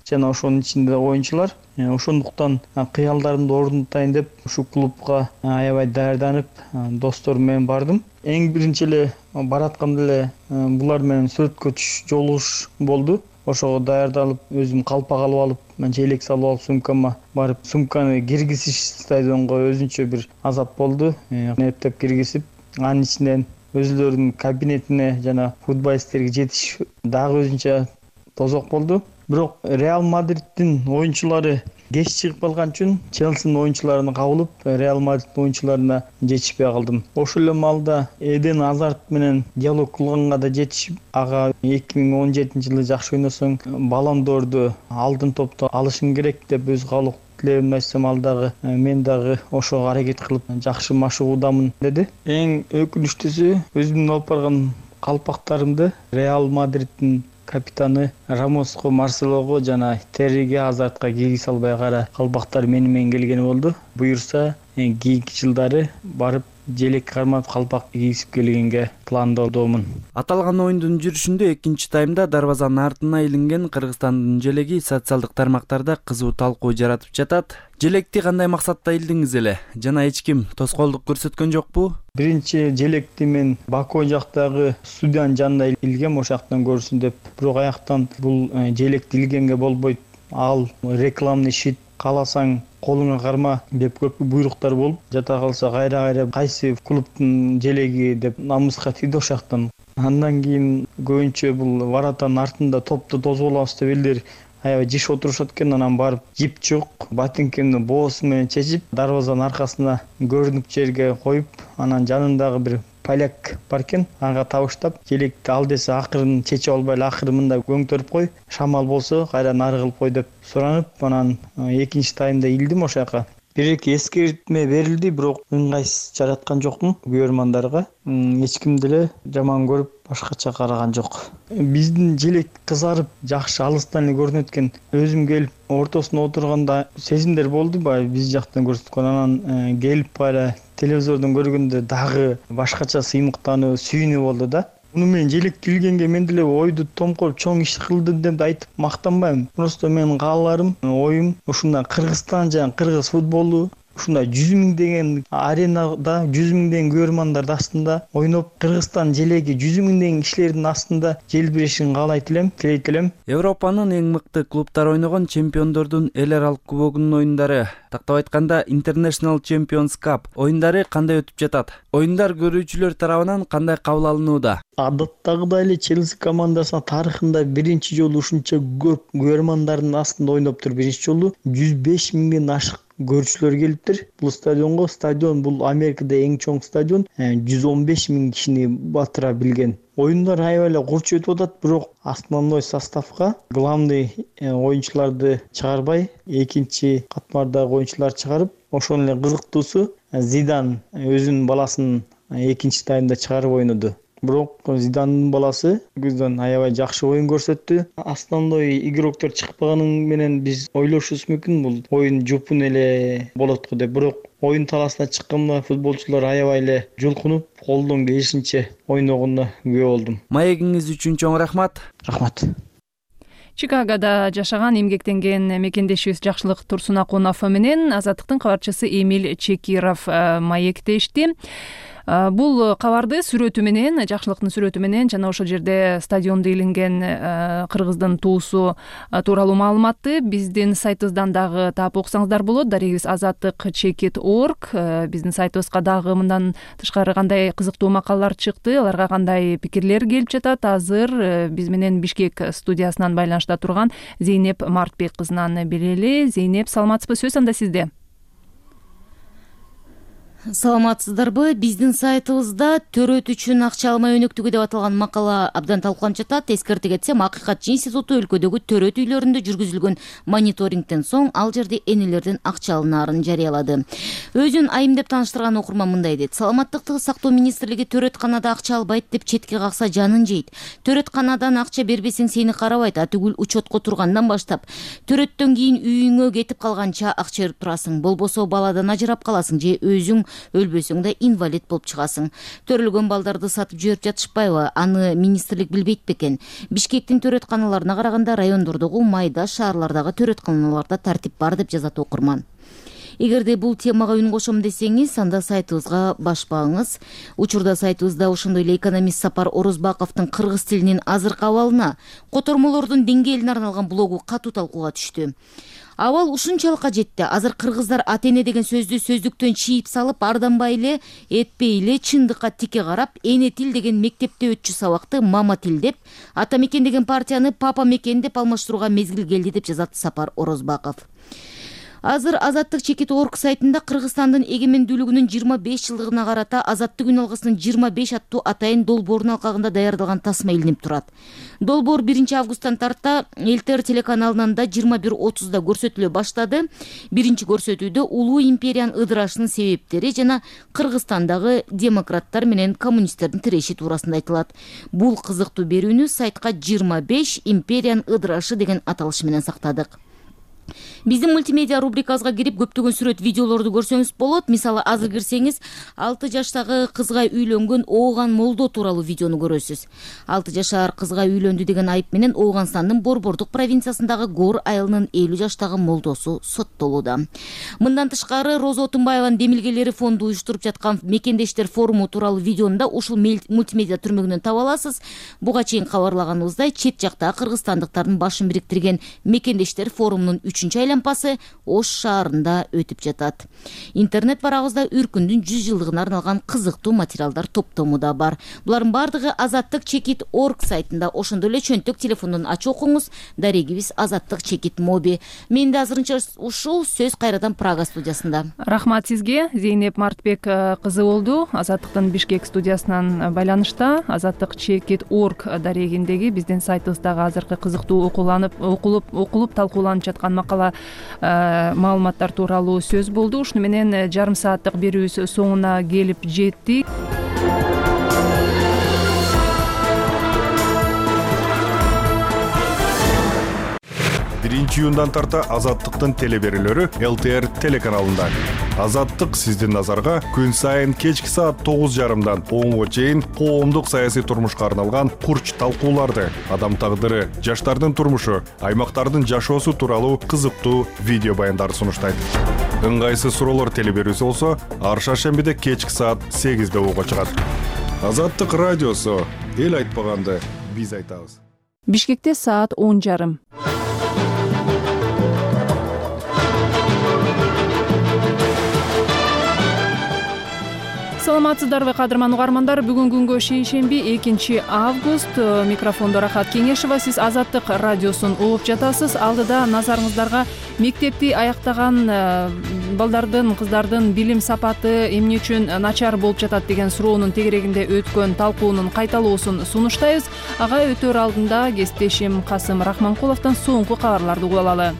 Speaker 3: жана ошонун ичинде оюнчулар. Ошондуктан кыялдарымды орунтайын деп ушу клубга аябай даярданып, досторум менен бардым. Эң биринчи эле баратканда эле булар менен сүрөткө түшүш жолугуш болду. Ошого даярдалып, өзүм калпак алып алып, манча элек салып алып сумкама барып, сумканы киргизиш стадионго өзүнчө бир азап болду. Эптеп киргизип, анын ичинен өзүлөрүнүн кабинетине жана футболисттерге жетиш дагы өзүнчө тозок болду. Бирок Реал Мадридтин оюнчулары кеч чыгып калган үчүн Челсинин оюнчуларын кабылып, Реал Мадридтин оюнчуларына жетишпей калдым. Ошол эле маалда Эден Азарт менен диалог кылганга да жетишип, ага эки миң он жетинчи жылы жакшы ойносоң Баллон д'Орду алдын топто алышың керек деп өз каалоо тилегимди айтсам, ал дагы мен дагы ошого аракет кылып жакшы машыгуудамын деди. Эң өкүнүчтүүсү, өзүмдүн алып барган калпактарымды Реал Мадридтин капитаны Рамоско, Марселого жана Терриге, Азартка кийгизе албай кара калпактар мени менен келгени болду. Буюрса, кийинки жылдары барып желек кармап калпак кийгизип келгенге пландоодомун.
Speaker 20: Аталган оюндун жүрүшүндө экинчи таймда дарбазанын артына илинген Кыргызстандын желеги социалдык тармактарда кызуу талкуу жаратып жатат. Желекти кандай максатта илдиңиз эле жана эч ким тоскоолдук көрсөткөн жокпу?
Speaker 3: Биринчи желекти мен Баку жактагы студиянын жанында илгем, ошол жактан көрсүн деп. Бирок аяктан бул желекти илгенге болбойт. Ал рекламный щит, кааласаң колуңа карма деп көп буйруктар болуп, жата калса кайра-кайра кайсы клубтун желеги деп намыска тийди ошол жактан. Андан кийин көбүнчө бул воротанын артында топту тосуп алабыз деп элдер аябай жиш отурушат экен. Анан барып жип жок, ботинкемди боосу менен чечип, дарбазанын аркасына көрүнүп жерге коюп, анан жанындагы бир поляк бар экен, ага табыштап, желекти ал десе акырын чечип албай эле акыры мындай көңтөрүп кой, шамал болсо кайра нары кылып кой деп суранып, анан экинчи таймда илдим ошол жака. Бир-эки эскертме берилди, бирок ыңгайсыз жараткан жокмун күйөрмандарга. Эч ким деле жаман көрүп, башкача караган жок. Биздин желек кызарып, жакшы алыстан эле көрүнөт экен. Өзүм келип ортосуна отурганда сезимдер болду, баягы биз жактан көрсөткөн. Анан келип кайра телевизордон көргөндө дагы башкача сыймыктануу, сүйүнүү болду да. муну мен желек келгенге мен деле ойду томкоруп чоң иш кылдым деп айтып мактанбайм. Просто менин кааларым, оюм ушундай Кыргызстан жана кыргыз футболу ушундай жүз миңдеген аренада жүз миңдеген көрөрмандардын астында ойноп, Кыргызстан желеги жүз миңдеген кишилердин астында желбирешин каалайт элем, тилейт элем.
Speaker 20: Европанын эң мыкты клубтар ойногон чемпиондордун эл аралык кубогунун ойундары, тактап айтканда International Champions Cup оюндары кандай өтүп жатат? Оюндар көрүүчүлөр тарабынан кандай кабыл алынууда?
Speaker 3: Адаттагыдай эле Челси командасына тарыхында биринчи жолу ушунча көп көрөрмандардын астында ойноптур. Биринчи жолу жүз беш миңден ашык көрүүчүлөр келиптир. Бул стадионго, стадион бул Америкада эң чоң стадион, жүз он беш миң кишини батыра билген. Оюндар аябай эле курч өтүп атат, бирок основной составга главный оюнчуларды чыгарбай, экинчи катмардагы оюнчуларды чыгарып, ошон эле кызыктуусу Зидан өзүнүн баласын экинчи таймда чыгарып ойноду. Бирок Зидандын баласы көздөн аябай жакшы оюн көрсөттү. Основной игроктор чыкпаганын менен биз ойлошубуз мүмкүн, бул оюн жупун эле болот го деп. Бирок оюн талаасына чыкканда футболчулар аябай эле жулкунуп, колдон келишинче ойногонуна күбө болдум.
Speaker 20: Маегиңиз үчүн чоң рахмат.
Speaker 3: Рахмат.
Speaker 1: Чикагода жашаган эмгектенген мекендешибиз Жакшылык Турсунакунов менен Азаттыктын кабарчысы Эмиль Чекиров маектешти. Бул кабарды сүрөтү менен, Жакшылыктын сүрөтү менен жана ошол жерде стадиондо илинген кыргыздын туусу тууралуу маалыматты биздин сайтыбыздан дагы таап окусаңыздар болот. Дарегибиз азаттык чекит точка орг. Биздин сайтыбызга дагы мындан тышкары кандай кызыктуу макалалар чыкты, аларга кандай пикирлер келип жатат, азыр биз менен Бишкек студиясынан байланышта турган Зейнеп Мартбек кызынан билели. Зейнеп, саламатсызбы? Сөз анда сизде.
Speaker 21: Саламатсыздарбы? Биздин сайтыбызда төрөт үчүн акча алмай өнөктүгү деп аталган макала абдан талкууланып жатат. Эскерте кетсем, Акыйкатчы институту өлкөдөгү төрөт үйлөрүндө жүргүзүлгөн мониторингден соң ал жерде энелерден акча алынаарын жарыялады. Өзүн айым деп тааныштырган окурман мындай дейт: саламаттыкты сактоо министрлиги төрөтканада акча албайт деп четке какса жанын жейт. Төрөтканадан акча бербесең сени карабайт, а түгүл учетко тургандан баштап төрөттөн кийин үйүңө кетип калганча акча берип турасың. Болбосо баладан ажырап каласың же өзүң өлбөсөң да инвалид болуп чыгасың. Төрөлгөн балдарды сатып жиберип жатышпайбы? Аны министрлик билбейт бекен? Бишкектин төрөтканаларына караганда райондордогу майда шаарлардагы төрөтканаларда тартип бар деп жазат окурман. Эгерде бул темага үн кошом десеңиз, анда сайтыбызга башпаңыз. Учурда сайтыбызда ошондой эле экономист Сапар Орозбаковдун кыргыз тилинин азыркы абалына, котормолордун деңгээлине арналган блогу катуу талкууга түштү. Абал ушунчалык жетти. Азыр кыргыздар ата-эне деген сөздү сөздүктөн чийип салып, арданбай эле, этпей эле чындыкка тике карап, эне тил деген мектепте өтчү сабакты мама тил деп, ата мекен деген партияны папа мекен деп алмаштырууга мезгил келди деп жазат Сапар Орозбаков. Азыр Азаттык чекит точка орг сайтында Кыргызстандын эгемендүүлүгүнүн жыйырма беш жылдыгына карата Азаттык күн алгысынын жыйырма беш аттуу атайын долбоорунун алкагында даярдалган тасма илинип турат. Долбоор биринчи августтан тарта эл-тэ эр телеканалынан да жыйырма бир отузда көрсөтүлө баштады. Биринчи көрсөтүүдө улуу империянын ыдырашынын себептери жана Кыргызстандагы демократтар менен коммунисттердин тиреши туурасында айтылат. Бул кызыктуу берүүнү сайтка жыйырма беш империянын ыдырашы деген аталыш менен сактадык. Биздин мультимедиа рубрикабызга кирип көптөгөн сүрөт, видеолорду көрсөңүз болот. Мисалы, азыр кирсеңиз, алты жаштагы кызга үйлөнгөн Ооган Молдо тууралуу видеону көрөсүз. алты жашар кызга үйлөндү деген айып менен Ооганстандын Борбордук провинциясындагы Гор айылынын элүү жаштагы молдосу соттолууда. Мындан тышкары, Роза Отунбаеванын демилгелери фонду уюштуруп жаткан Мекендештер форуму тууралуу видеону да ушул мультимедиа түрмөгүнөн таба аласыз. Буга чейин кабарлаганыбыздай, чет жакта кыргызстандыктардын башын бириктирген Мекендештер форумунун үчүнчү айланпасы Ош шаарында өтүп жатат. Интернет барагыбызда Үркүндүн жүз жылдыгына арналган кызыктуу материалдар топтому да бар. Булардын бардыгы Азаттык чекит точка орг сайтында. Ошондой эле чөнтөк телефондон ачып окуңуз. Дарегибиз Азаттык чекит моби. Менде азырынча ушул, сөз кайрадан Прага студиясында.
Speaker 1: Рахмат сизге. Зейнеп Мартбек кызы болду. Азаттыктын Бишкек студиясынан байланышта. Азаттык чекит точка орг дарегиндеги биздин сайтыбыздагы азыркы кызыктуу окууланып, окулуп, окулуп талкууланып жаткан макала маалыматтар тууралуу сөз болду. Ушуну менен жарым сааттык берүүбүз соңуна келип жеттик.
Speaker 13: биринчи июндан тарта Азаттыктын телеберүүлөрү эл тэ эр телеканалында. Азаттык сиздин назарга күн сайын кечки саат тогуз жарымдан онго чейин коомдук саясий турмушка арналган курч талкууларды, адам тагдыры, жаштардын турмушу, аймактардын жашоосу тууралуу кызыктуу видео баяндарды сунуштайт. Ыңгайсыз суроолор телеберүүсү болсо, ар шаршембиде кечки саат сегизде угууга чыгат. Азаттык радиосу, эл айтпаганды биз айтабыз.
Speaker 1: Бишкекте саат он жарым. Саламатсыздарбы кадырман угармандар, бүгүн күнгө шейшемби экинчи август. Микрофондо Рахат Кеңешова, сиз Азаттык радиосун угуп жатасыз. Алдыда назарыңыздарга мектепти аяктаган балдардын, кыздардын билим сапаты эмне үчүн начар болуп жатат деген суроонун тегерегинде өткөн талкуунун кайталоосун сунуштайбыз. Ага өтөр алдында кесиптешим Касым Рахманкуловдон соңку кабарларды угуп алалы.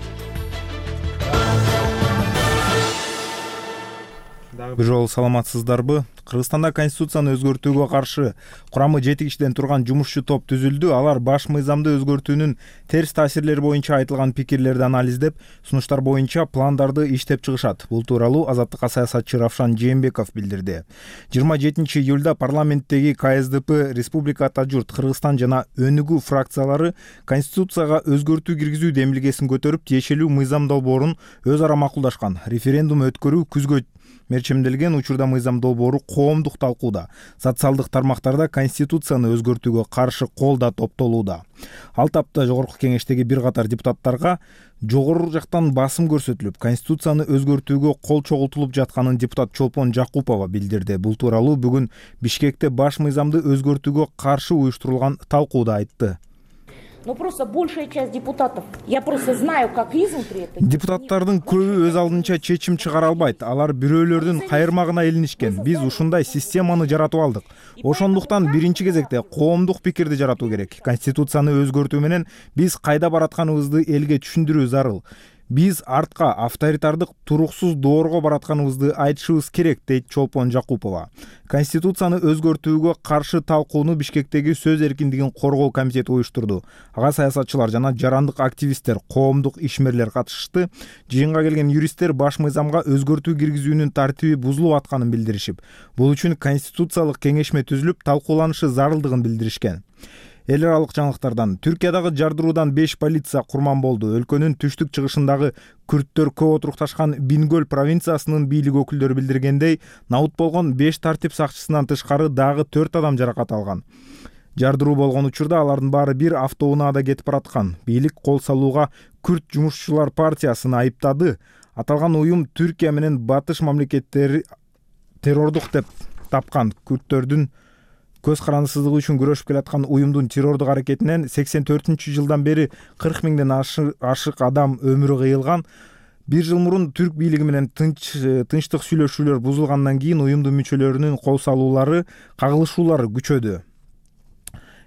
Speaker 4: Бир жолу саламатсыздарбы? Кыргызстанда конституцияны өзгөртүүгө каршы курамы жети кишиден турган жумушчу топ түзүлдү. Алар баш мыйзамды өзгөртүүнүн терс таасирлери боюнча айтылган пикирлерди анализдеп, сунуштар боюнча пландарды иштеп чыгышат. Бул тууралуу Азаттыкка саясатчы Равшан Жээнбеков билдирди. жыйырма жетинчи июлда парламенттеги ка эс дэ пэ, Республика Ата журт, Кыргызстан жана Өнүгүү фракциялары конституцияга өзгөртүү киргизүү демилгесин көтөрүп, тиешелүү мыйзам долбоорун өз ара макулдашкан. Референдум өткөрүү күзгө мерчемделген. Учурда мыйзам долбоору коомдук талкууда. Социалдык тармактарда конституцияны өзгөртүүгө каршы кол да топтолууда. Ал тапта жогорку кеңештеги бир катар депутаттарга жогору жактан басым көрсөтүлүп, конституцияны өзгөртүүгө кол чогултулуп жатканын депутат Чолпон Жакупова билдирди. Бул тууралуу бүгүн Бишкекте баш мыйзамды өзгөртүүгө каршы уюштурулган талкууда айтты.
Speaker 5: Но просто большая часть депутатов, я просто знаю, как изнутри это.
Speaker 4: Депутаттардын көбү өз алдынча чечим чыгара албайт. Алар бирөөлөрдүн кайырмагына илинишкен. Биз ушундай системаны жаратып алдык. Ошондуктан биринчи кезекте коомдук пикирди жаратуу керек. Конституцияны өзгөртүү менен биз кайда баратканыбызды элге түшүндүрүү зарыл. Биз артка авторитардык туруксуз доорго баратканыбызды айтышыбыз керек, дейт Чолпон Жакупова. Конституцияны өзгөртүүгө каршы талкууну Бишкектеги сөз эркиндигин коргоо комитети уюштурду. Ага саясатчылар жана жарандык активисттер, коомдук ишмерлер катышты. Жыйынга келген юристтер баш мыйзамга өзгөртүү киргизүүнүн тартиби бузулуп атканын билдиришип, бул үчүн конституциялык кеңешме түзүлүп, талкууланышы зарылдыгын билдиришкен. Эл аралык жаңылыктардан: Түркиядагы жардыруудан беш полиция курман болду. Өлкөнүн түштүк чыгышындагы күрттөр көп отурукташкан Бингөл провинциясынын бийлик өкүлдөрү билдиргендей, наут болгон беш тартип сакчысынан тышкары дагы төрт адам жаракат алган. Жардыруу болгон учурда алардын баары бир автоунаада кетип бараткан. Бийлик кол салууга Күрт жумушчулар партиясын айыптады. Аталган уюм Түркия менен батыш мамлекеттери террордук деп тапкан. Күрттөрдүн көз карандысыздыгы үчүн күрөшүп келаткан уюмдун террордук аракетинен сексен төртүнчү жылдан бери кырк миңден ашык адам өмүрү кыйылган. Бир жыл мурун түрк бийлиги менен тынч тынчтык сүйлөшүүлөр бузулгандан кийин уюмдун мүчөлөрүнүн кол салуулары, кагылышуулары күчөдү.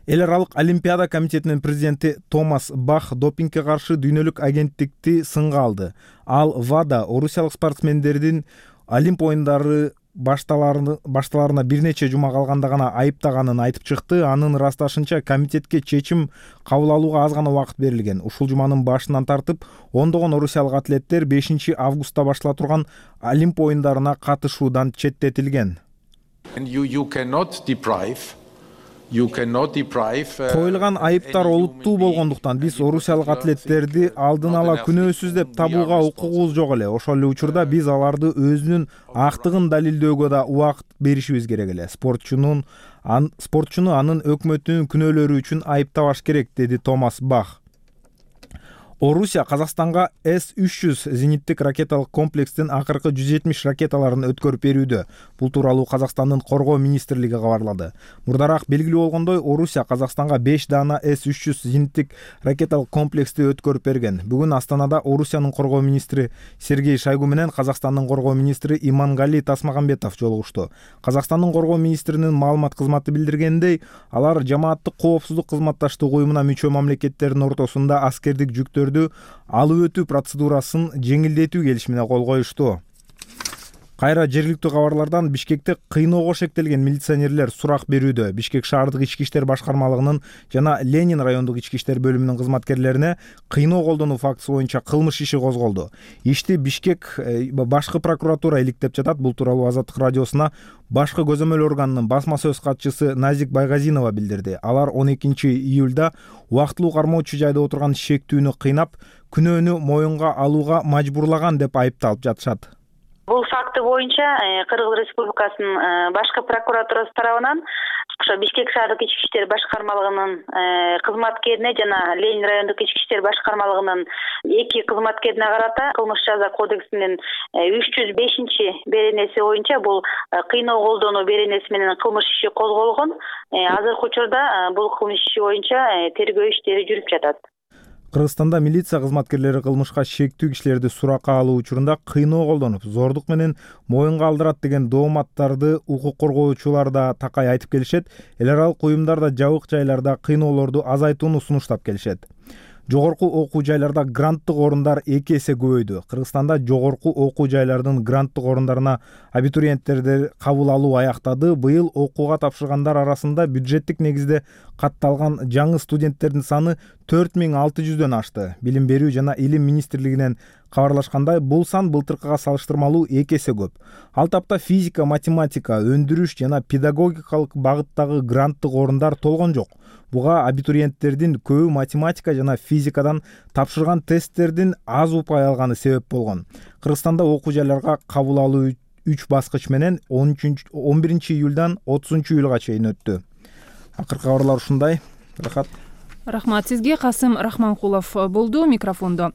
Speaker 4: Эл аралык Олимпиада комитетинин президенти Томас Бах допингге каршы дүйнөлүк агенттикти сынга алды. Ал ВАДА орусиялык спортсмендердин Олимп оюндары башталарына бир нече жума калганда гана айыптаганын айтып чыкты. Анын ырасташынча, комитетке чечим кабыл алууга аз гана убакыт берилген. Ушул жуманын башынан тартып, ондогон орусиялык атлеттер бешинчи августта баштала турган Олимп оюндарына катышуудан четтетилген. Коюлган айыптар олуттуу болгондуктан биз орусиялык атлеттерди алдын ала күнөөсүз деп табууга укугубуз жок эле. Ошол эле учурда биз аларды өзүнүн актыгын далилдөөгө да убакыт беришибиз керек эле. Спортчунун ан, спортчуну анын өкмөтүнүн күнөөлөрү үчүн айыптабаш керек, деди Томас Бах. Орусия Казакстанга эс үч жүз зениттик ракеталык комплекстин акыркы жүз жетимиш ракеталарын өткөрүп берүүдө. Бул тууралуу Казакстандын коргоо министрлиги кабарлады. Мурдараак белгилүү болгондой, Орусия Казакстанга беш дана эс үч жүз зениттик ракеталык комплексти өткөрүп берген. Бүгүн Астанада Орусиянын коргоо министри Сергей Шойгу менен Казакстандын коргоо министри Имангали Тасмагамбетов жолугушту. Казакстандын коргоо министринин маалымат кызматы билдиргендей, алар жамааттык коопсуздук кызматташтык уюмуна мүчө мамлекеттердин ортосунда аскердик жүктөр алып өтүү процедурасын жеңилдетүү келишимине кол коюшту. Кайра жергиликтүү кабарлардан Бишкекте кыйноого шектелген милиционерлер сурак берүүдө. Бишкек шаардык ички иштер башкармалыгынын жана Ленин райондук ички иштер бөлүмүнүн кызматкерлерине кыйноо колдонуу фактысы боюнча кылмыш иши козголду. Ишти Бишкек башкы прокуратура иликтеп жатат. Бул тууралуу Азаттык радиосуна башкы көзөмөл органынын басма сөз катчысы Назик Байгазинова билдирди. Алар он экинчи июлда убактылуу кармоочу жайда отурган шектүүнү кыйнап, күнөөнү моюнга алууга мажбурлаган деп айыпталып жатышат.
Speaker 2: Бул факты боюнча Кыргыз Республикасынын башкы прокуратурасы тарабынан ошо Бишкек шаардык ички иштер башкармалыгынын кызматкерине жана Ленин райондук ички иштер башкармалыгынын эки кызматкерине карата кылмыш жаза кодексинин үч жүз бешинчи беренеси боюнча бул кыйноо колдонуу беренеси менен кылмыш иши козголгон. Азыркы учурда бул кылмыш иши боюнча тергөө иштери жүрүп жатат.
Speaker 4: Кыргызстанда милиция кызматкерлери кылмышка шектүү кишилерди суракка алуу учурунда кыйноо колдонуп, зордук менен моюнга алдырат деген дооматтарды укук коргоочулар да такай айтып келишет. Эл аралык уюмдар да жабык жайларда кыйноолорду азайтууну сунуштап келишет. Жогорку окуу жайларда гранттык орундар эки эсе көбөйдү. Кыргызстанда жогорку окуу жайлардын гранттык орундарына абитуриенттерди кабыл алуу аяктады. Быйыл окууга тапшыргандар арасында бюджеттик негизде катталган жаңы студенттердин саны төрт миң алты жүздөн ашты. Билим берүү жана илим министрлигинен кабарлашкандай, бул сан былтыркыга салыштырмалуу эки эсе көп. Ал тапта физика, математика, өндүрүш жана педагогикалык багыттагы гранттык орундар толгон жок. Буга абитуриенттердин көбү математика жана физикадан тапшырган тесттердин аз упай алганы себеп болгон. Кыргызстанда окуу жайларга кабыл алуу үч баскыч менен он биринчи июлдан отузунчу июлга чейин өттү. Акыркы кабарлар ушундай. Рахат.
Speaker 1: Рахмат сизге. Касым Рахманкулов болду микрофондо.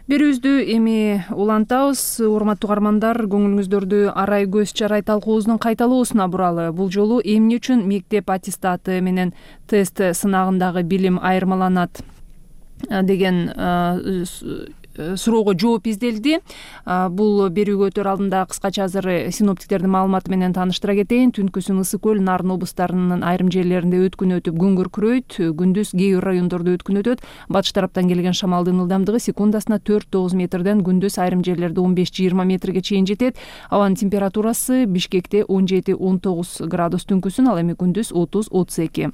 Speaker 1: Берүүбүздү эми улантабыз. Урматтуу угармандар, көңүлүңүздөрдү Арай көз чарай талкуубуздун кайталоосуна буралы. Бул жолу эмне үчүн мектеп аттестаты менен тест сынагындагы билим айырмаланат деген суроого жооп изделди. Бул берүүгө өтөр алдында кыскача азыр синоптиктердин маалыматы менен тааныштыра кетейин. Түнкүсүн ысык көл, Нарын облустарынын айрым жерлеринде өткүн өтүп күн күркүрөйт. Күндүз кээ бир райондордо өткүн өтөт. Батыш тараптан келген шамалдын ылдамдыгы секундасына төрт тогуз метрден күндүз айрым жерлерде он беш жыйырма метрге чейин жетет. Абанын температурасы Бишкекте он жети он тогуз градус түнкүсүн, ал эми күндүз отуз отуз эки.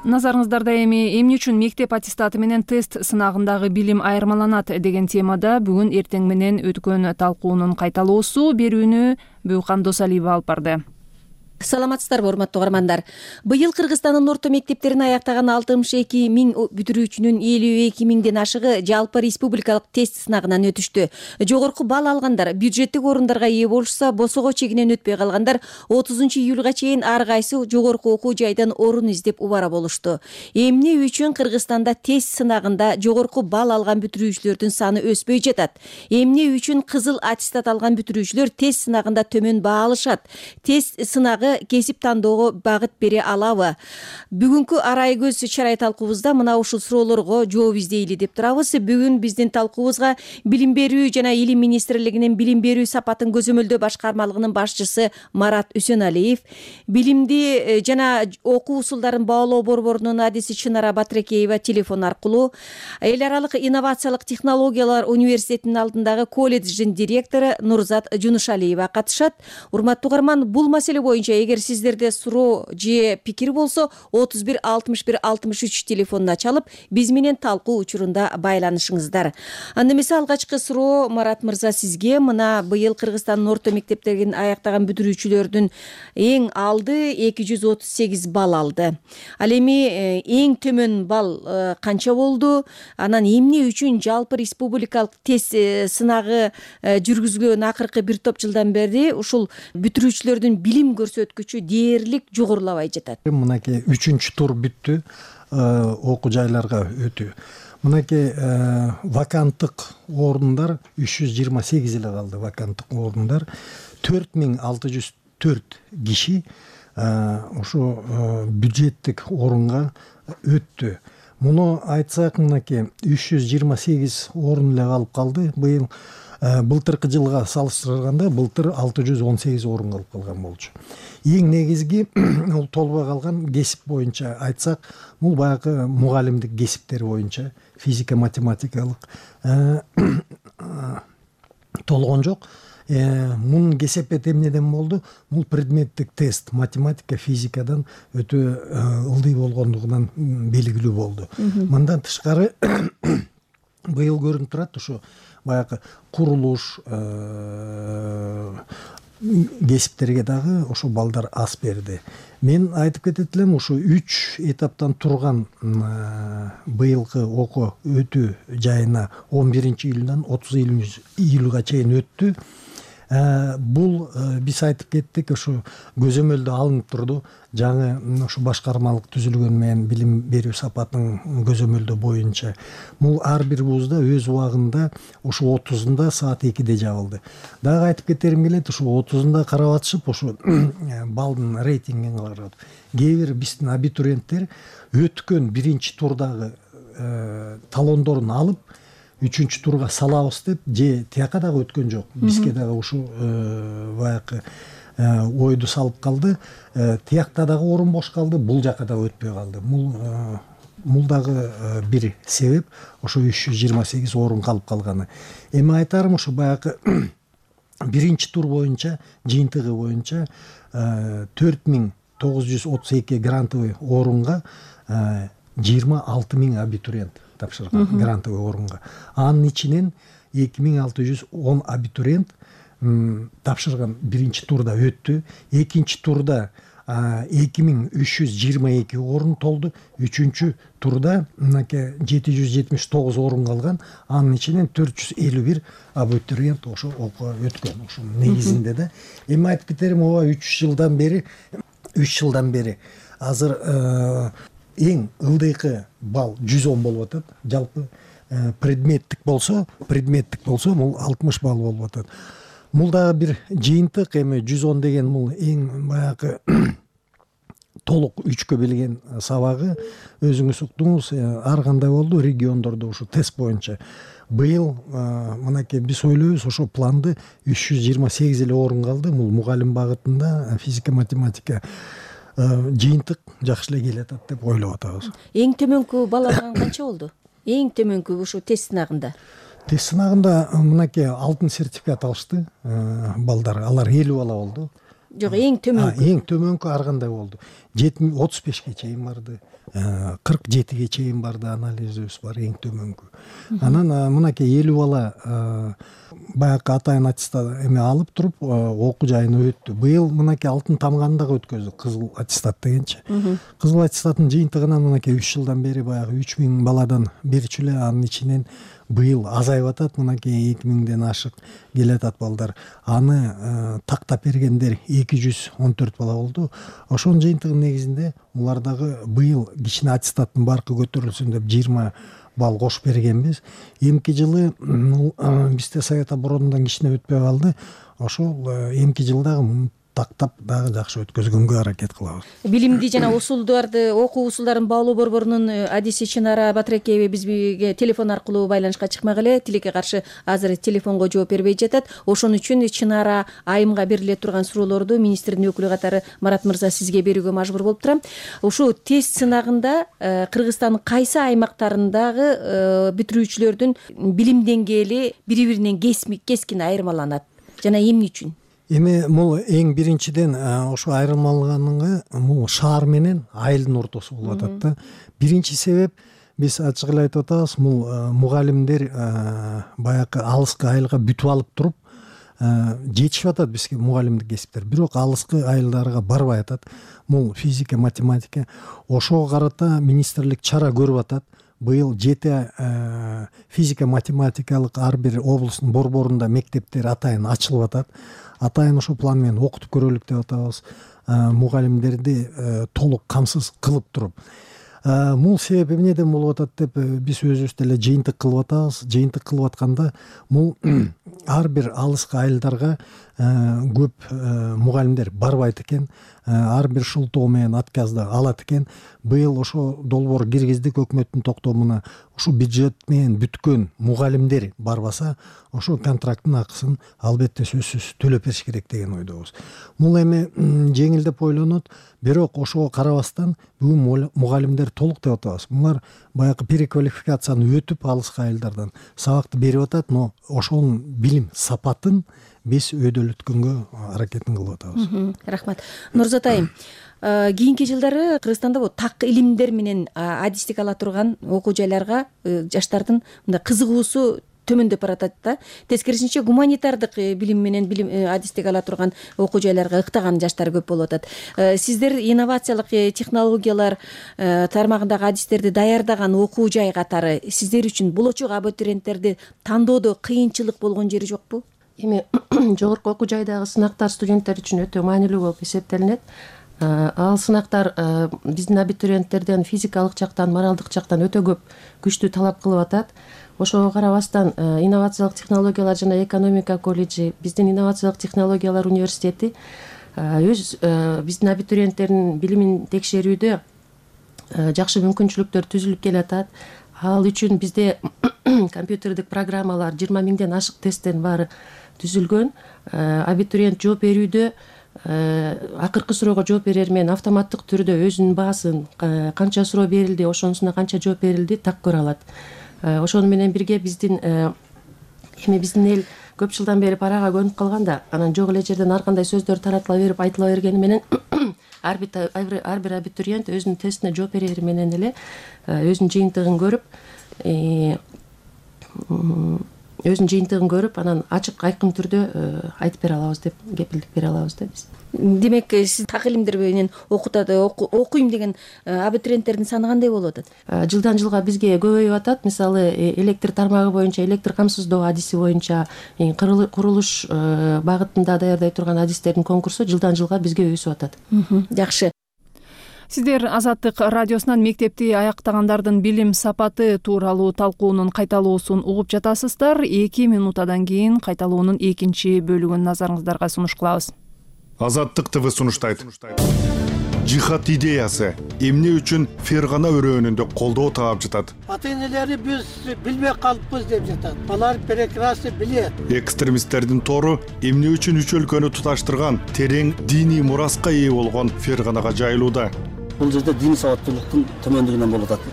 Speaker 1: Назарыңыздарда эми эмне үчүн мектеп аттестаты менен тест сынагындагы билим айырмаланат деген темада бүгүн эртең менен өткөн талкуунун кайталоосу. Берүүнү Бүйкан Досалиева алып барды.
Speaker 22: Саламатсыздарбы, урматтуу угармандар. Быйыл Кыргызстандын орто мектептерин аяктаган алтымыш эки миң бүтүрүүчүнүн элүү эки миңден ашыгы жалпы республикалык тест сынагынан өтүштү. Жогорку балл алгандар бюджеттик орундарга ээ болушса, босого чегинен өтпөй калгандар отузунчу июлга чейин ар кайсы жогорку окуу жайдан орун издеп убара болушту. Эмне үчүн Кыргызстанда тест сынагында жогорку балл алган бүтүрүүчүлөрдүн саны өспөй жатат? Эмне үчүн кызыл аттестат алган бүтүрүүчүлөр тест сынагында төмөн баа алышат? Тест сынагы кесип тандоого багыт бере алабы? Бүгүнкү Арай көз чарай талкуубузда мына ушул суроолорго жооп издейли деп турабыз. Бүгүн биздин талкуубузга Билим берүү жана Илим министрлигинин билим берүү сапатын көзөмөлдөө башкармалыгынын башчысы Марат Үсөналиев, билимди жана окуу усулдарын баалоо борборунун адиси Чынара Батырекеева телефон аркылуу, эл аралык инновациялык технологиялар университетинин алдындагы колледждин директору Нурзат Жунушалиева катышат. Урматтуу угарман, бул маселе боюнча эгер сиздерде суроо же пикир болсо, отуз бир алтымыш бир алтымыш үч телефонуна чалып, биз менен талкуу учурунда байланышыңыздар. Анда эмесе алгачкы суроо Марат мырза сизге. Мына быйыл Кыргызстандын орто мектептерин аяктаган бүтүрүүчүлөрдүн эң алды эки жүз отуз сегиз балл алды. Ал эми эң төмөн балл канча болду? Анан эмне үчүн жалпы республикалык тест сынагы жүргүзүлгөн акыркы бир топ жылдан бери ушул бүтүрүүчүлөрдүн билим көрсөткүчү дээрлик жогорулабай жатат?
Speaker 23: Мынакей үчүнчү тур бүттү, окуу жайларга өтүү. Мынакей ваканттык орундар үч жүз жыйырма сегиз эле калды. Ваканттык орундар төрт миң алты жүз төрт киши ушу бюджеттик орунга өттү. Муну айтсак, мынакей үч жүз жыйырма сегиз орун эле калып калды. Быйыл былтыркы жылга салыштырганда былтыр алты жүз он сегиз орунга алып калган болчу. Эң негизги бул толбой калган кесип боюнча айтсак, бул баягы мугалимдик кесиптер боюнча физика математикалык толгон жок. Мунун кесепети эмнеден болду? Бул предметтик тест математика, физикадан өтө ылдый болгондугунан белгилүү болду. Мындан тышкары быйыл көрүнүп турат ушу баягы курулуш кесиптерге дагы ошо балдар аз берди. Мен айтып кетет элем, ушу үч этаптан турган быйылкы окуу өтүү жайына он биринчи июлдан отуз июлга чейин өттү. Бул биз айтып кеттик, ушу көзөмөлдө алынып турду. Жаңы ушу башкармалык түзүлгөн менен билим берүү сапатынын көзөмөлдөө боюнча бул ар бир вузда өз убагында ушу отузунда саат экиде жабылды. Дагы айтып кетерим келет, ушу отузунда карап атышып, ушу балдын рейтингин карап. Кээ бир биздин абитуриенттер өткөн биринчи турдагы талондорун алып үчүнчү турга салабыз деп, же тияка дагы өткөн жок. Бизге дагы ушу баягы ойду салып калды. Тиякта дагы орун бош калды, бул жака да өтпөй калды. Бул бул дагы бир себеп, ошо үч жүз жыйырма сегиз орун калып калганы. Эми айтарым, ушу баягы биринчи тур боюнча, жыйынтыгы боюнча төрт миң тогуз жүз отуз эки грантовый орунга жыйырма алты миң абитуриент тапшырган грантовый орунга. Анын ичинен эки миң алты жүз он абитуриент тапшырган биринчи турда өттү. Экинчи турда эки миң үч жүз жыйырма эки орун толду. Үчүнчү турда мынакей жети жүз жетимиш тогуз орун калган. Анын ичинен төрт жүз элүү бир абитуриент ошо окууга өткөн. Ошо негизинде да. Эми айтып кетерим, ооба үч жылдан бери үч жылдан бери азыр эң ылдыйкы балл жүз он болуп атат. Жалпы предметтик болсо, предметтик болсо бул алтымыш балл болуп атат. Бул дагы бир жыйынтык. Эми жүз он деген бул эң баягы толук үчкө билген сабагы. Өзүңүз уктуңуз, ар кандай болду региондордо ушу тест боюнча. Быйыл мынакей биз ойлойбуз, ошо планды үч жүз жыйырма сегиз эле орун калды. Бул мугалим багытында физика, математика жыйынтык жакшы эле келе атат деп ойлоп атабыз.
Speaker 22: Эң төмөнкү баллар канча болду? Эң төмөнкү ушу тест сынагында?
Speaker 23: Тест сынагында мынакей алтын сертификат алышты балдар. Алар элүү бала болду.
Speaker 22: Жок, эң төмөнкү.
Speaker 23: Эң төмөнкү ар кандай болду. отуз бешке чейин барды. кырк жетиге чейин барды, анализибиз бар эң төмөнкү. Анан мынакей элүү бала баягы атайын аттестат эме алып туруп окуу жайына өттү. Быйыл мынакей алтын тамганды дагы өткөздүк, кызыл аттестат дегенчи. Кызыл аттестаттын жыйынтыгынан мынакей үч жылдан бери баягы үч миң баладан берчү эле, анын ичинен быйыл азайып атат, мынакей эки миңден ашык келе атат балдар. Аны тактап бергендер эки жүз он төрт бала болду. Ошонун жыйынтыгынын негизинде улар дагы быйыл кичине аттестаттын баркы көтөрүлсүн деп жыйырма балл кошуп бергенбиз. Эмки жылы бизде совет оборонунан кичине өтпөй калды. Ошол эмки жылдагы тактап дагы жакшы өткөзгөнгө аракет кылабыз.
Speaker 22: Билимди жана усулдарды, окуу усулдарын баалоо борборунун адиси Чынара Батыракеева бизге телефон аркылуу байланышка чыкмак эле. Тилекке каршы азыр телефонго жооп бербей жатат. Ошон үчүн Чынара айымга бериле турган суроолорду министрдин өкүлү катары Марат мырза сизге берүүгө мажбур болуп турам. Ушул тест сынагында Кыргызстандын кайсы аймактарындагы бүтүрүүчүлөрдүн билим деңгээли бири-биринен кескин айырмаланат жана эмне үчүн?
Speaker 23: Эми бул эң биринчиден ошо айырмаланганга бул шаар менен айылдын ортосу болуп атат да. Биринчи себеп, биз ачык эле айтып атабыз, бул мугалимдер баягы алыскы айылга бүтүп алып туруп жетишип атат бизге мугалимдик кесиптер, бирок алыскы айылдарга барбай атат. Бул физика, математика. Ошого карата министрлик чара көрүп атат. Быйыл жети физика, математикалык ар бир облустун борборунда мектептер атайын ачылып атат. Атайын ошо план менен окутуп көрөлүк деп атабыз. Мугалимдерди толук камсыз кылып туруп. Бул себеп эмнеден болуп атат деп биз өзүбүз деле жыйынтык кылып атабыз. Жыйынтык кылып атканда бул ар бир алыскы айылдарга көп мугалимдер барбайт экен. ар бир шылтоо менен отказды алат экен. Быйыл ошо долбоор киргиздик өкмөттүн токтомуна. Ушу бюджет менен бүткөн мугалимдер барбаса, ошо контракттын акысын албетте сөзсүз төлөп бериш керек деген ойдобуз. Бул эми жеңил деп ойлонот, бирок ошого карабастан бүгүн мугалимдер толук деп атабыз. Булар баягы переквалификацияны өтүп алыскы айылдардан сабакты берип атат, но ошонун билим сапатын биз өйдөлөткөнгө аракетин кылып атабыз.
Speaker 22: Рахмат. Нурзат айым, кийинки жылдары Кыргызстанда бул так илимдер менен адистик ала турган окуу жайларга жаштардын мындай кызыгуусу төмөндөп баратат да. Тескерисинче гуманитардык билим менен билим адистик ала турган окуу жайларга ыктаган жаштар көп болуп атат. Сиздер инновациялык технологиялар тармагындагы адистерди даярдаган окуу жай катары сиздер үчүн болочок абитуриенттерди тандоодо кыйынчылык болгон жери жокпу?
Speaker 7: Эми жогорку окуу жайдагы сынактар студенттер үчүн өтө маанилүү болуп эсептелинет. Ал сынактар биздин абитуриенттерден физикалык жактан, моралдык жактан өтө көп күчтүү талап кылып атат. Ошого карабастан инновациялык технологиялар жана экономика колледжи, биздин инновациялык технологиялар университети өз биздин абитуриенттердин билимин текшерүүдө жакшы мүмкүнчүлүктөр түзүлүп келатат. Ал үчүн бизде компьютердик программалар жыйырма миңден ашык тесттин баары түзүлгөн. Абитуриент жооп берүүдө акыркы суроого жооп берер менен автоматтык түрдө өзүнүн баасын, канча суроо берилди, ошонусуна канча жооп берилди так көрө алат. Ошону менен бирге биздин эми биздин эл көп жылдан бери парага көнүп калганда, анан жок эле жерден ар кандай сөздөр таратыла берип, айтыла бергени менен ар бир абитуриент өзүнүн тестине жооп берери менен эле өзүнүн жыйынтыгын көрүп, өзүнүн жыйынтыгын көрүп, анан ачык айкын түрдө айтып бере алабыз деп кепилдик бере алабыз да биз.
Speaker 22: Демек, сиз так илимдер менен окутат, окуйм деген абитуриенттердин саны кандай болуп атат?
Speaker 7: Жылдан жылга бизге көбөйүп атат. Мисалы, электр тармагы боюнча, электр камсыздоо адиси боюнча курулуш багытында даярдай турган адистердин конкурсу жылдан жылга бизге өсүп атат.
Speaker 22: Жакшы.
Speaker 1: Сиздер Азаттык радиосунан мектепти аяктагандардын билим сапаты тууралуу талкуунун кайталоосун угуп жатасыздар. эки минутадан кийин кайталоонун экинчи бөлүгүн назарыңыздарга сунуш кылабыз.
Speaker 13: Азаттык ТВ сунуштайт. Жихад идеясы эмне үчүн Фергана өрөөнүндө колдоо таап жатат?
Speaker 14: Ата-энелери биз билбей калыппыз деп жатат. Алар прекрасно билет.
Speaker 13: Экстремисттердин тору эмне үчүн үч өлкөнү туташтырган терең диний мураска ээ болгон Ферганага жайылууда?
Speaker 15: Бул жерде диний сабаттуулуктун төмөндүгүнөн болуп атат.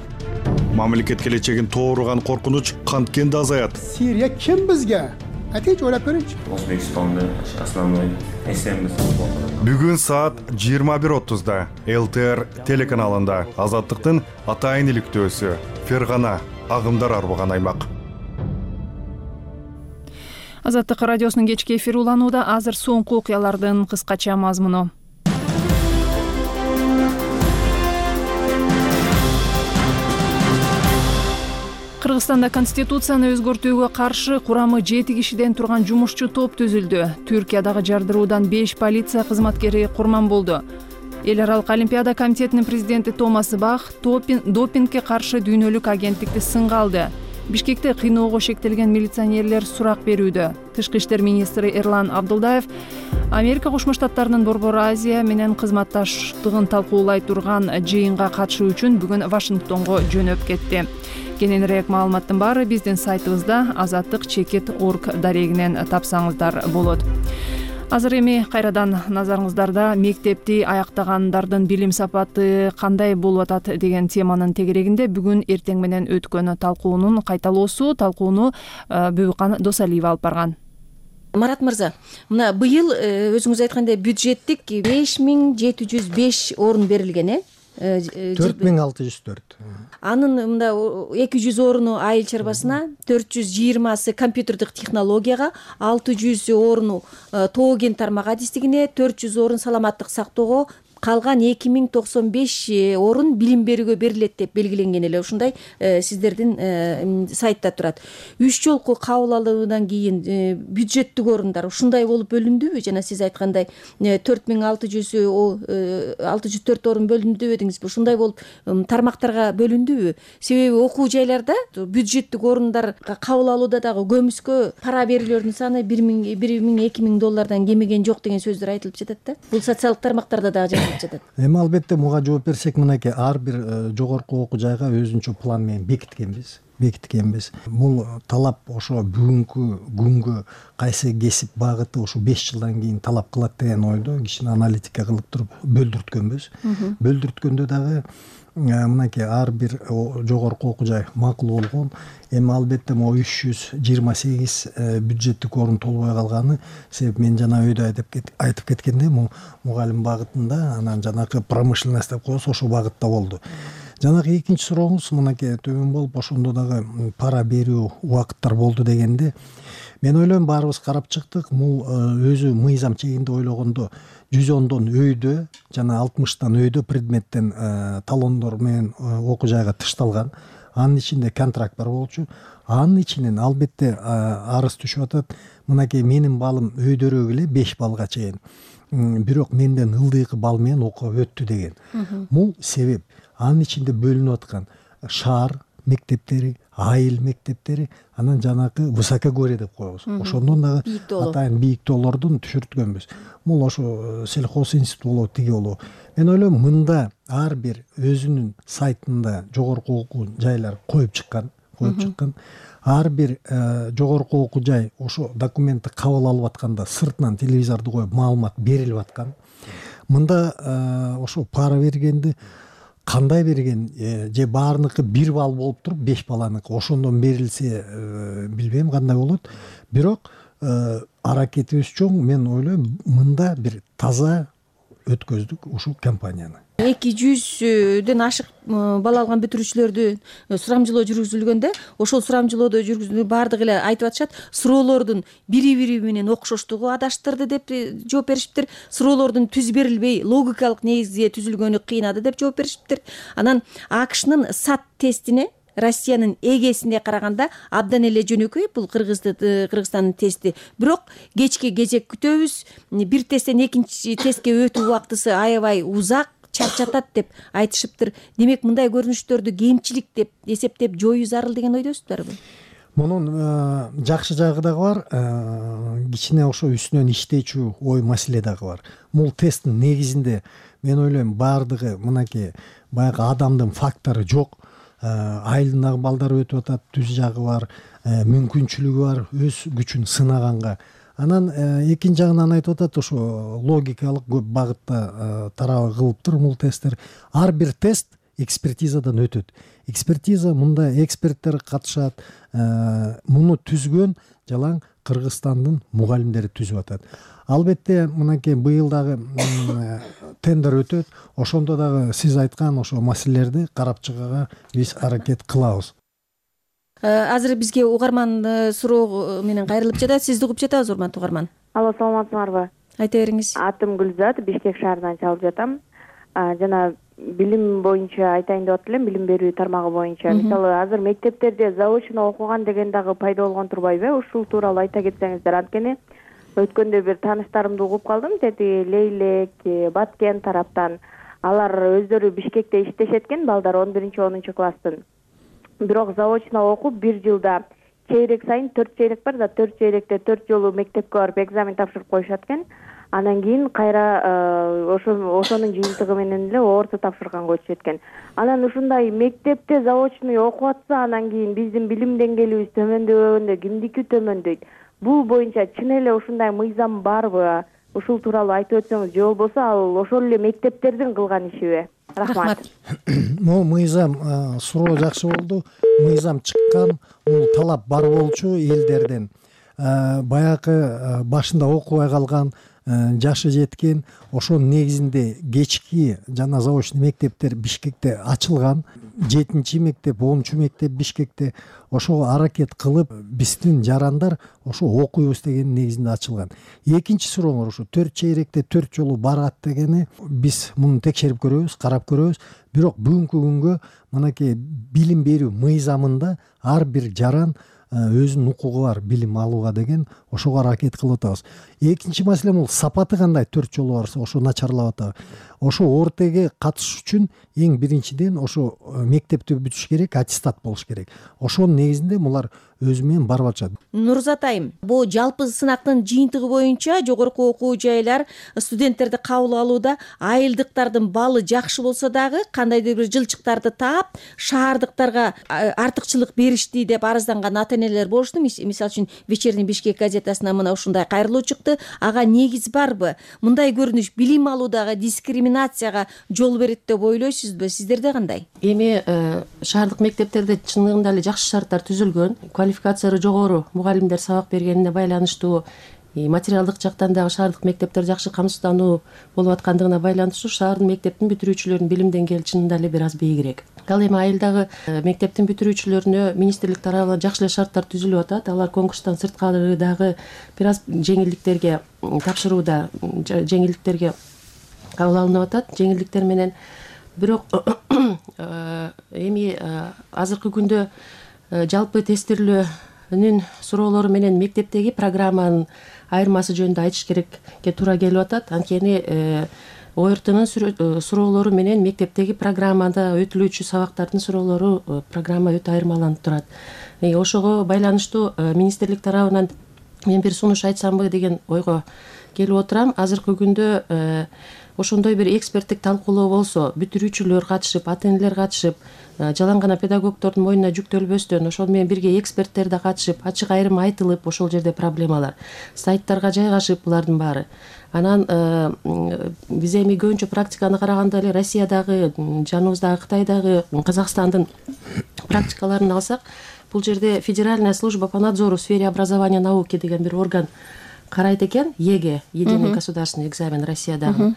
Speaker 13: Мамлекет келечегин тооруган коркунуч канткенде азаят.
Speaker 8: Сирия ким бизге? Атеч ойлоп көрүнчү.
Speaker 16: Өзбекстанда основной эсембиз.
Speaker 13: Бүгүн саат жыйырма бир отузда эл тэ эр телеканалында Азаттыктын атайын иликтөөсү Фергана агымдар арбаган аймак.
Speaker 1: Азаттык радиосунун кечки эфири уланууда. Азыр соңку окуялардын кыскача мазмуну. Кыргызстанда конституцияны өзгөртүүгө каршы курамы жети кишиден турган жумушчу топ түзүлдү. Түркиядагы жардыруудан беш полиция кызматкери курман болду. Эл аралык олимпиада комитетинин президенти Томас Бах допингге каршы дүйнөлүк агенттикти сынга алды. Бишкекте кыйноого шектелген милиционерлер сурак берүүдө. Тышкы иштер министри Эрлан Абдулдаев Америка Кошмо Штаттарынын Борбор Азия менен кызматташтыгын талкуулай турган жыйынга катышуу үчүн бүгүн Вашингтонго жөнөп кетти. Кененирээк маалыматтын баары биздин сайтыбызда азаттык чекит точка орг дарегинен тапсаңыздар болот. Азыр эми кайрадан назарыңыздарда мектепти аяктагандардын билим сапаты кандай болуп атат деген теманын тегерегинде бүгүн эртең менен өткөн талкуунун кайталоосу. Талкууну Бөбүкан Досалиева алып барган.
Speaker 22: Марат мырза, мына быйыл өзүңүз айткандай бюджеттик беш миң жети жүз беш орун берилген, э?
Speaker 23: төрт миң алты жүз төрт.
Speaker 22: Анын мында эки жүз орunu айыл чарбасына, төрт жүз жыйырмасы компьютердик технологияга, алты жүз орunu тоо кен тармак адистигине, төрт жүз орун саламаттык сактоого, калган эки миң токсон беш орун билим берүүгө берилет деп белгиленген эле. Ушундай сиздердин сайтта турат. Үч жолку кабыл алуудан кийин бюджеттик орундар ушундай болуп бөлүндүбү? Жана сиз айткандай төрт миң алты жүз төрт орун бөлүндү дедиңизби? Ушундай болуп тармактарга бөлүндүбү? Себеби окуу жайларда бюджеттик орундарга кабыл алууда дагы көмүскө пара берүүлөрдүн саны бир миң эки миң доллардан кемиген жок деген сөздөр айтылып жатат да. Бул социалдык тармактарда дагы кайрылып жатат.
Speaker 23: Эми албетте буга жооп берсек, мынакей ар бир жогорку окуу жайга өзүнчө план менен бекиткенбиз бекиткенбиз бул талап ошо бүгүнкү күнгө кайсы кесип багыты ушу беш жылдан кийин талап кылат деген ойдо кичине аналитика кылып туруп бөлдүрткөнбүз. Бөлдүрткөндө дагы мынакей ар бир жогорку окуу жай макул болгон. Эми албетте могу үч жүз жыйырма сегиз бюджеттик орун толбой калганы себеп мен жана өйдө айтып кеткендей, мугалим багытында, анан жанагы промышленность деп коебуз, ошол багытта болду. Жанагы экинчи сурооңуз мынакей төмөн болуп, ошондо дагы пара берүү убакыттар болду дегенде, мен ойлойм баарыбыз карап чыктык. Бул өзү мыйзам чегинде ойлогондо жүз ондон өйдө жана алтымыштан өйдө предметтен талондор менен окуу жайга тышталган. Анын ичинде контракт бар болчу. Анын ичинен албетте арыз түшүп атат. Мынакей менин балым өйдөрөөк эле беш балга чейин. Бирок менден ылдыйкы бал менен окуп өттү деген. Бул себеп. Анын ичинде бөлүнүп аткан шаар мектептери, айыл мектептери, анан жанагы высокогорье деп коебуз. Ошондон дагы атайын бийик тоолордон түшүрткөнбүз. Бул ошо сельхоз институт болобу, тиги болобу. Мен ойлойм мында ар бир өзүнүн сайтында жогорку окуу жайлар коюп чыккан, коюп чыккан. Ар бир жогорку окуу жай ошо документти кабыл алып атканда сыртынан телевизорду коюп маалымат берилип аткан. Мында ошо пара бергенди кандай берген, же баарыныкы бир балл болуп туруп беш баланыкы ошондон берилсе билбейм кандай болот. Бирок аракетибиз чоң. Мен ойлойм мында бир таза өткөздүк ушул компанияны.
Speaker 22: эки жүздөн ашык бала алган бүтүрүүчүлөрдү сурамжылоо жүргүзүлгөндө, ошол сурамжылоодо жүргүзүлгөн баардыгы эле айтып атышат, суроолордун бири бири менен окшоштугу адаштырды деп жооп беришиптир. Суроолордун түз берилбей логикалык негизде түзүлгөнү кыйнады деп жооп беришиптир. Анан АКШнын сат тестине Россиянын эгесине караганда абдан эле жөнөкөй бул Кыргызстандын тести. Бирок кечки кезек күтөбүз. Бир тесттен экинчи тестке өтүү убактысы аябай узак, чарчатат деп айтышыптыр. Демек мындай көрүнүштөрдү кемчилик деп эсептеп жоюу зарыл деген ойдосуздарбы?
Speaker 23: Мунун жакшы жагы дагы бар, кичине ошо үстүнөн иштечү ой маселе дагы бар. Бул тесттин негизинде мен ойлойм баардыгы мынакей баягы адамдын фактору жок. Айылдагы балдар өтүп атат, түз жагы бар, мүмкүнчүлүгү бар, өз күчүн сынаганга. Анан экинчи жагынан айтып атат, ошо логикалык көп багытта тарабы кылыптыр бул тесттер. Ар бир тест экспертизадан өтөт. Экспертиза мында эксперттер катышат. Муну түзгөн жалаң Кыргызстандын мугалимдери түзүп атат. Албетте мынакей быйыл дагы тендер өтөт. Ошондо дагы сиз айткан ошо маселелерди карап чыгууга биз аракет кылабыз.
Speaker 22: Азыр бизге угарман суроо менен кайрылып жатат. Сизди угуп жатабыз, урматтуу угарман.
Speaker 6: Алло, саламатсыңарбы?
Speaker 22: Айта бериңиз.
Speaker 6: Атым Гүлзат, Бишкек шаарынан чалып жатам. Жана билим боюнча айтайын деп атып элем, билим берүү тармагы боюнча. Мисалы, азыр мектептерде заочно окуган деген дагы пайда болгон турбайбы? Ушул тууралуу айта кетсеңиздер. Анткени өткөндө бир тааныштарымды угуп калдым, деди Лейлек, Баткен тараптан. Алар өздөрү Бишкекте иштешет экен, балдар он биринчи онунчу класстын. Бирок заочно окуп бир жылда чейрек сайын төрт чейрек бар да, төрт чейректе төрт жолу мектепке барып экзамен тапшырып коюшат экен. Анан кийин кайра ошо ошонун жыйынтыгы менен эле орто тапшырганга өтүшөт экен. Анан ушундай мектепте заочный окуп атса, анан кийин биздин билим деңгээлибиз төмөндөбөгөндө кимдики төмөндөйт? Бул боюнча чын эле ушундай мыйзам барбы? Ушул тууралуу айтып өтсөңүз, же болбосо ал ошол эле мектептердин кылган ишиби? Рахмат.
Speaker 23: Могу мыйзам суроо жакшы болду. Мыйзам чыккан, бул талап бар болчу элдерден. Баягы башында окубай калган, жашы жеткен, ошонун негизинде кечки жана заочный мектептер Бишкекте ачылган. жетинчи мектеп, онунчу мектеп Бишкекте ошого аракет кылып, биздин жарандар ошо окуйбуз деген негизинде ачылган. Экинчи сурооңор ушу төрт чейректе төрт жолу барат дегени, биз муну текшерип көрөбүз, карап көрөбүз. Бирок бүгүнкү күнгө мынакей билим берүү мыйзамында ар бир жаран өзүнүн укугу бар билим алууга деген, ошого аракет кылып атабыз. Экинчи маселе бул сапаты кандай төрт жолу барса ошо начарлап атабы. Ошо ортеге катышыш үчүн эң биринчиден ошо мектепти бүтүш керек, аттестат болуш керек. Ошонун негизинде булар өзү менен барып атышат.
Speaker 22: Нурзат айым, бул жалпы сынактын жыйынтыгы боюнча жогорку окуу жайлар студенттерди кабыл алууда айылдыктардын баллы жакшы болсо дагы кандайдыр бир жылчыктарды таап шаардыктарга артыкчылык беришти деп арызданган ата энелер болушту. Мисалы үчүн Вечерний Бишкек газетасына мына ушундай кайрылуу чыкты. Ага негиз барбы? Мындай көрүнүш билим алуудагы дискриминацияга жол берет деп ойлойсузбу? Сиздерде кандай?
Speaker 7: Эми шаардык мектептерде чындыгында эле жакшы шарттар түзүлгөн. Квалификациясы жогору мугалимдер сабак бергенине байланыштуу, материалдык жактан дагы шаардык мектептер жакшы камсыздануу болуп аткандыгына байланыштуу шаардын мектептин бүтүрүүчүлөрүнүн билим деңгээли чынында эле бир аз бийигирээк. Ал эми айылдагы мектептин бүтүрүүчүлөрүнө министрлик тарабынан жакшы эле шарттар түзүлүп атат. Алар конкурстан сырткары дагы бир аз жеңилдиктерге тапшырууда, жеңилдиктерге кабыл алынып атат. Жеңилдиктер менен бирок эми азыркы күндө жалпы тестирлөөнүн суроолору менен мектептеги программанын айырмасы жөнүндө айтыш керекке туура келип атат. Анткени о эр тнын суроолору менен мектептеги программада өтүлүүчү сабактардын суроолору программа өтө айырмаланып турат. Ошого байланыштуу министрлик тарабынан мен бир сунуш айтсамбы деген ойго келип отурам. Азыркы күндө ошондой бир эксперттик талкуулоо болсо, бүтүрүүчүлөр катышып, ата энелер катышып, жалаң гана педагогдордун мойнуна жүктөлбөстөн, ошол менен бирге эксперттер да катышып, ачык айрым айтылып, ошол жерде проблемалар сайттарга жайгашып булардын баары. Анан биз эми көбүнчө практиканы караганда эле Россиядагы, жаныбыздагы Кытайдагы, Казакстандын практикаларын алсак, бул жерде Федеральная служба по надзору в сфере образования и науки деген бир орган карайт экен. ЕГЭ, единый государственный экзамен Россиядагы.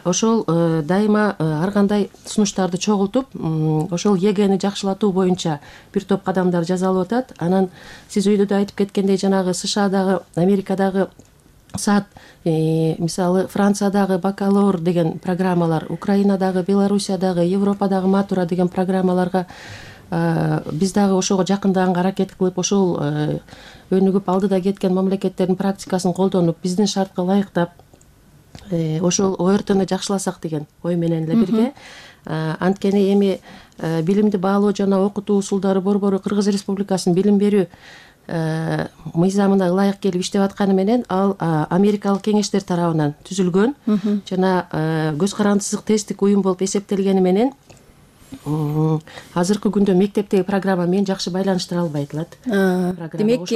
Speaker 7: Ошол дайыма ар кандай сунуштарды чогултуп, ошол ЕГЭни жакшылатуу боюнча бир топ кадамдар жасалып атат. Анан сиз өйдө да айтып кеткендей, жанагы США-дагы, Америкадагы саат, мисалы Франциядагы бакалавр деген программалар, Украинадагы, Белоруссиядагы, Европадагы матура деген программаларга биз дагы ошого жакындаганга аракет кылып, ошол өнүгүп алдыда кеткен мамлекеттердин практикасын колдонуп, биздин шартка ылайыктап, ошол о эр тны жакшыласак деген ой менен эле бирге. Анткени эми билимди баалоо жана окутуу усулдары борбору Кыргыз Республикасынын билим берүү мыйзамына ылайык келип иштеп атканы менен, ал Америкалык кеңештер тарабынан түзүлгөн жана көз карандысыздык тесттик уюм болуп эсептелгени менен азыркы күндө мектептеги программа менен жакшы байланыштыра албай атылат.
Speaker 22: Демек,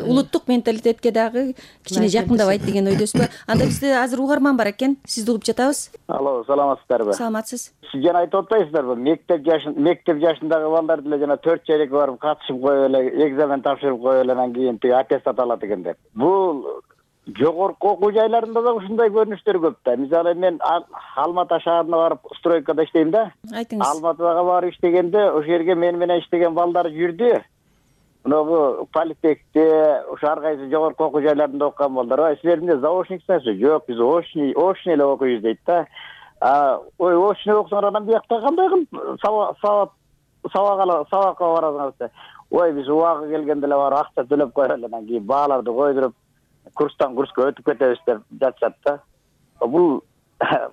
Speaker 22: улуттук менталитетке дагы кичине жакындабайт деген ойдосузбу? Анда бизде азыр угарман бар экен, сизди угуп жатабыз.
Speaker 9: Алло, саламатсыздарбы?
Speaker 22: Саламатсыз.
Speaker 9: Сиз жана айтып атпайсыздарбы? Мектеп жашын, мектеп жашындагы балдар деле жана төрт чейрекке барып катышып коюп эле, экзамен тапшырып коюп эле, анан кийин тиги аттестат алат экен деп. Бул жогорку окуу жайларында да ушундай көрүнүштөр көп да. Мисалы мен Алматы шаарына барып стройкада иштейм да.
Speaker 22: Айтыңыз.
Speaker 9: Алматыга барып иштегенде ошол жерге мен менен иштеген балдар жүрдү. Мынагу политехте, ошо ар кайсы жогорку окуу жайларында окуган балдар. Ой, силерде заочниксизби? Жок, биз очный, очный эле окуйбуз дейт да. А, ой, очный окусаңар анан биякта кандай кылып сабак сабак сабакка барасыңар деп. Ой, биз убагы келгенде эле барып акча төлөп коелу, анан кийин бааларды койдуруп курстан курска өтүп кетебиз деп жатышат да. Бул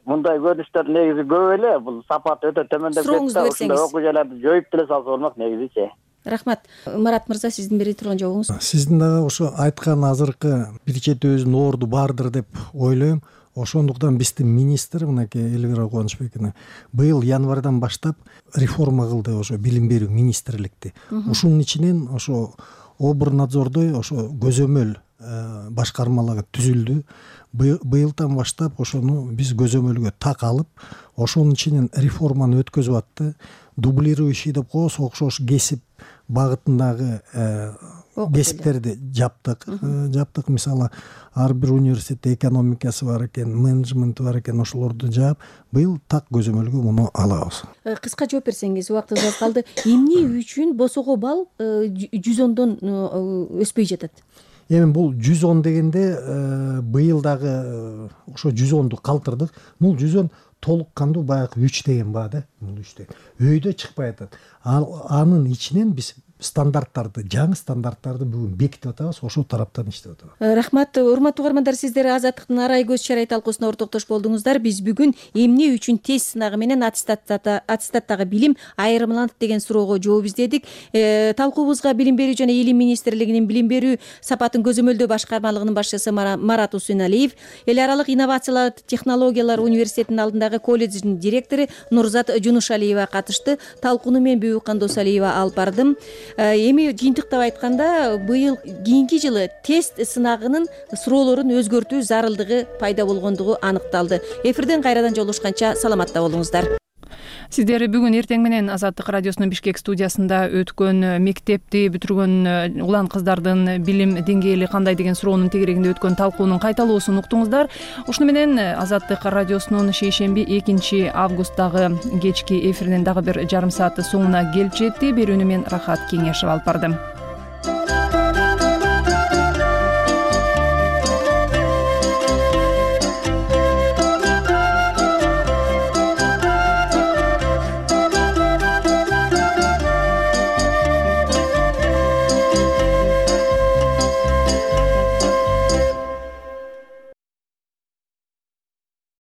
Speaker 9: мындай көрүнүштөр негизи көп эле, бул сапат өтө төмөндөп кетти. Ушундай окуу жайларды жоюп деле салса болмок негизичи.
Speaker 22: Рахмат. Марат мырза, сиздин бере турган жообуңуз?
Speaker 23: Сиздин дагы ошо айткан азыркы бир четибиздин орду бардыр деп ойлойм. Ошондуктан биздин министр, мынакей Элвира Кубанычбекова, быйыл январдан баштап реформа кылды ошо билим берүү министрликти. Ушунун ичинен ошо Обрнадзордой ошо көзөмөл башкармалар түзүлдү. Быйылдан баштап ошону биз көзөмөлгө так алып, ошонун ичинен реформаны өткөзүп атты. Дублирующий деп коебуз, окшош кесип багытындагы кесиптерди жаптык. Жаптык, мисалы, ар бир университетте экономикасы бар экен, менеджменти бар экен, ошолорду жаап, быйыл так көзөмөлгө муну алабыз.
Speaker 22: Кыска жооп берсеңиз, убактыбыз аз калды. Эмне үчүн босого балл жүз ондон өспөй жатат?
Speaker 23: Эми бул жүз он дегенде быйыл дагы ошо жүз онду калтырдык. Бул жүз он толук кандуу баягы үч деген баа да. Бул үч деген. Өйдө чыкпай атат. Анын ичинен биз стандарттарды жаңы стандарттарды бүгүн бекитип атабыз, ошол тараптан иштеп атабыз.
Speaker 22: Рахмат. Урматтуу угармандар, сиздер Азаттыктын арай көз чарай талкуусуна ортоктош болдуңуздар. Биз бүгүн эмне үчүн тест сынагы менен аттестаттагы билим айырмаланат деген суроого жооп издедик. Талкуубузга Билим берүү жана Илим министрлигинин билим берүү сапатын көзөмөлдөө башкармалыгынын башчысы Марат Усеналиев, эл аралык инновациялар технологиялар университетинин алдындагы колледждин директору Нурзат Жунушалиева катышты. Талкууну мен Бүбүкан Досалиева алып бардым. Эми жыйынтыктап айтканда, быйыл кийинки жылы тест сынагынын суроолорун өзгөртүү зарылдыгы пайда болгондугу аныкталды. Эфирден кайрадан жолугушканча саламатта болуңуздар.
Speaker 1: Сиздер бүгүн эртең менен Азаттык радиосунун Бишкек студиясында өткөн мектепти бүтүргөн улан кыздардын билим деңгээли кандай деген суроонун тегерегинде өткөн талкуунун кайталоосун уктуңуздар. Ушуну менен Азаттык радиосунун шейшемби экинчи августтагы кечки эфиринин дагы бир жарым сааты соңуна келип жетти. Берүүнү мен Рахат Кеңешов алып бардым.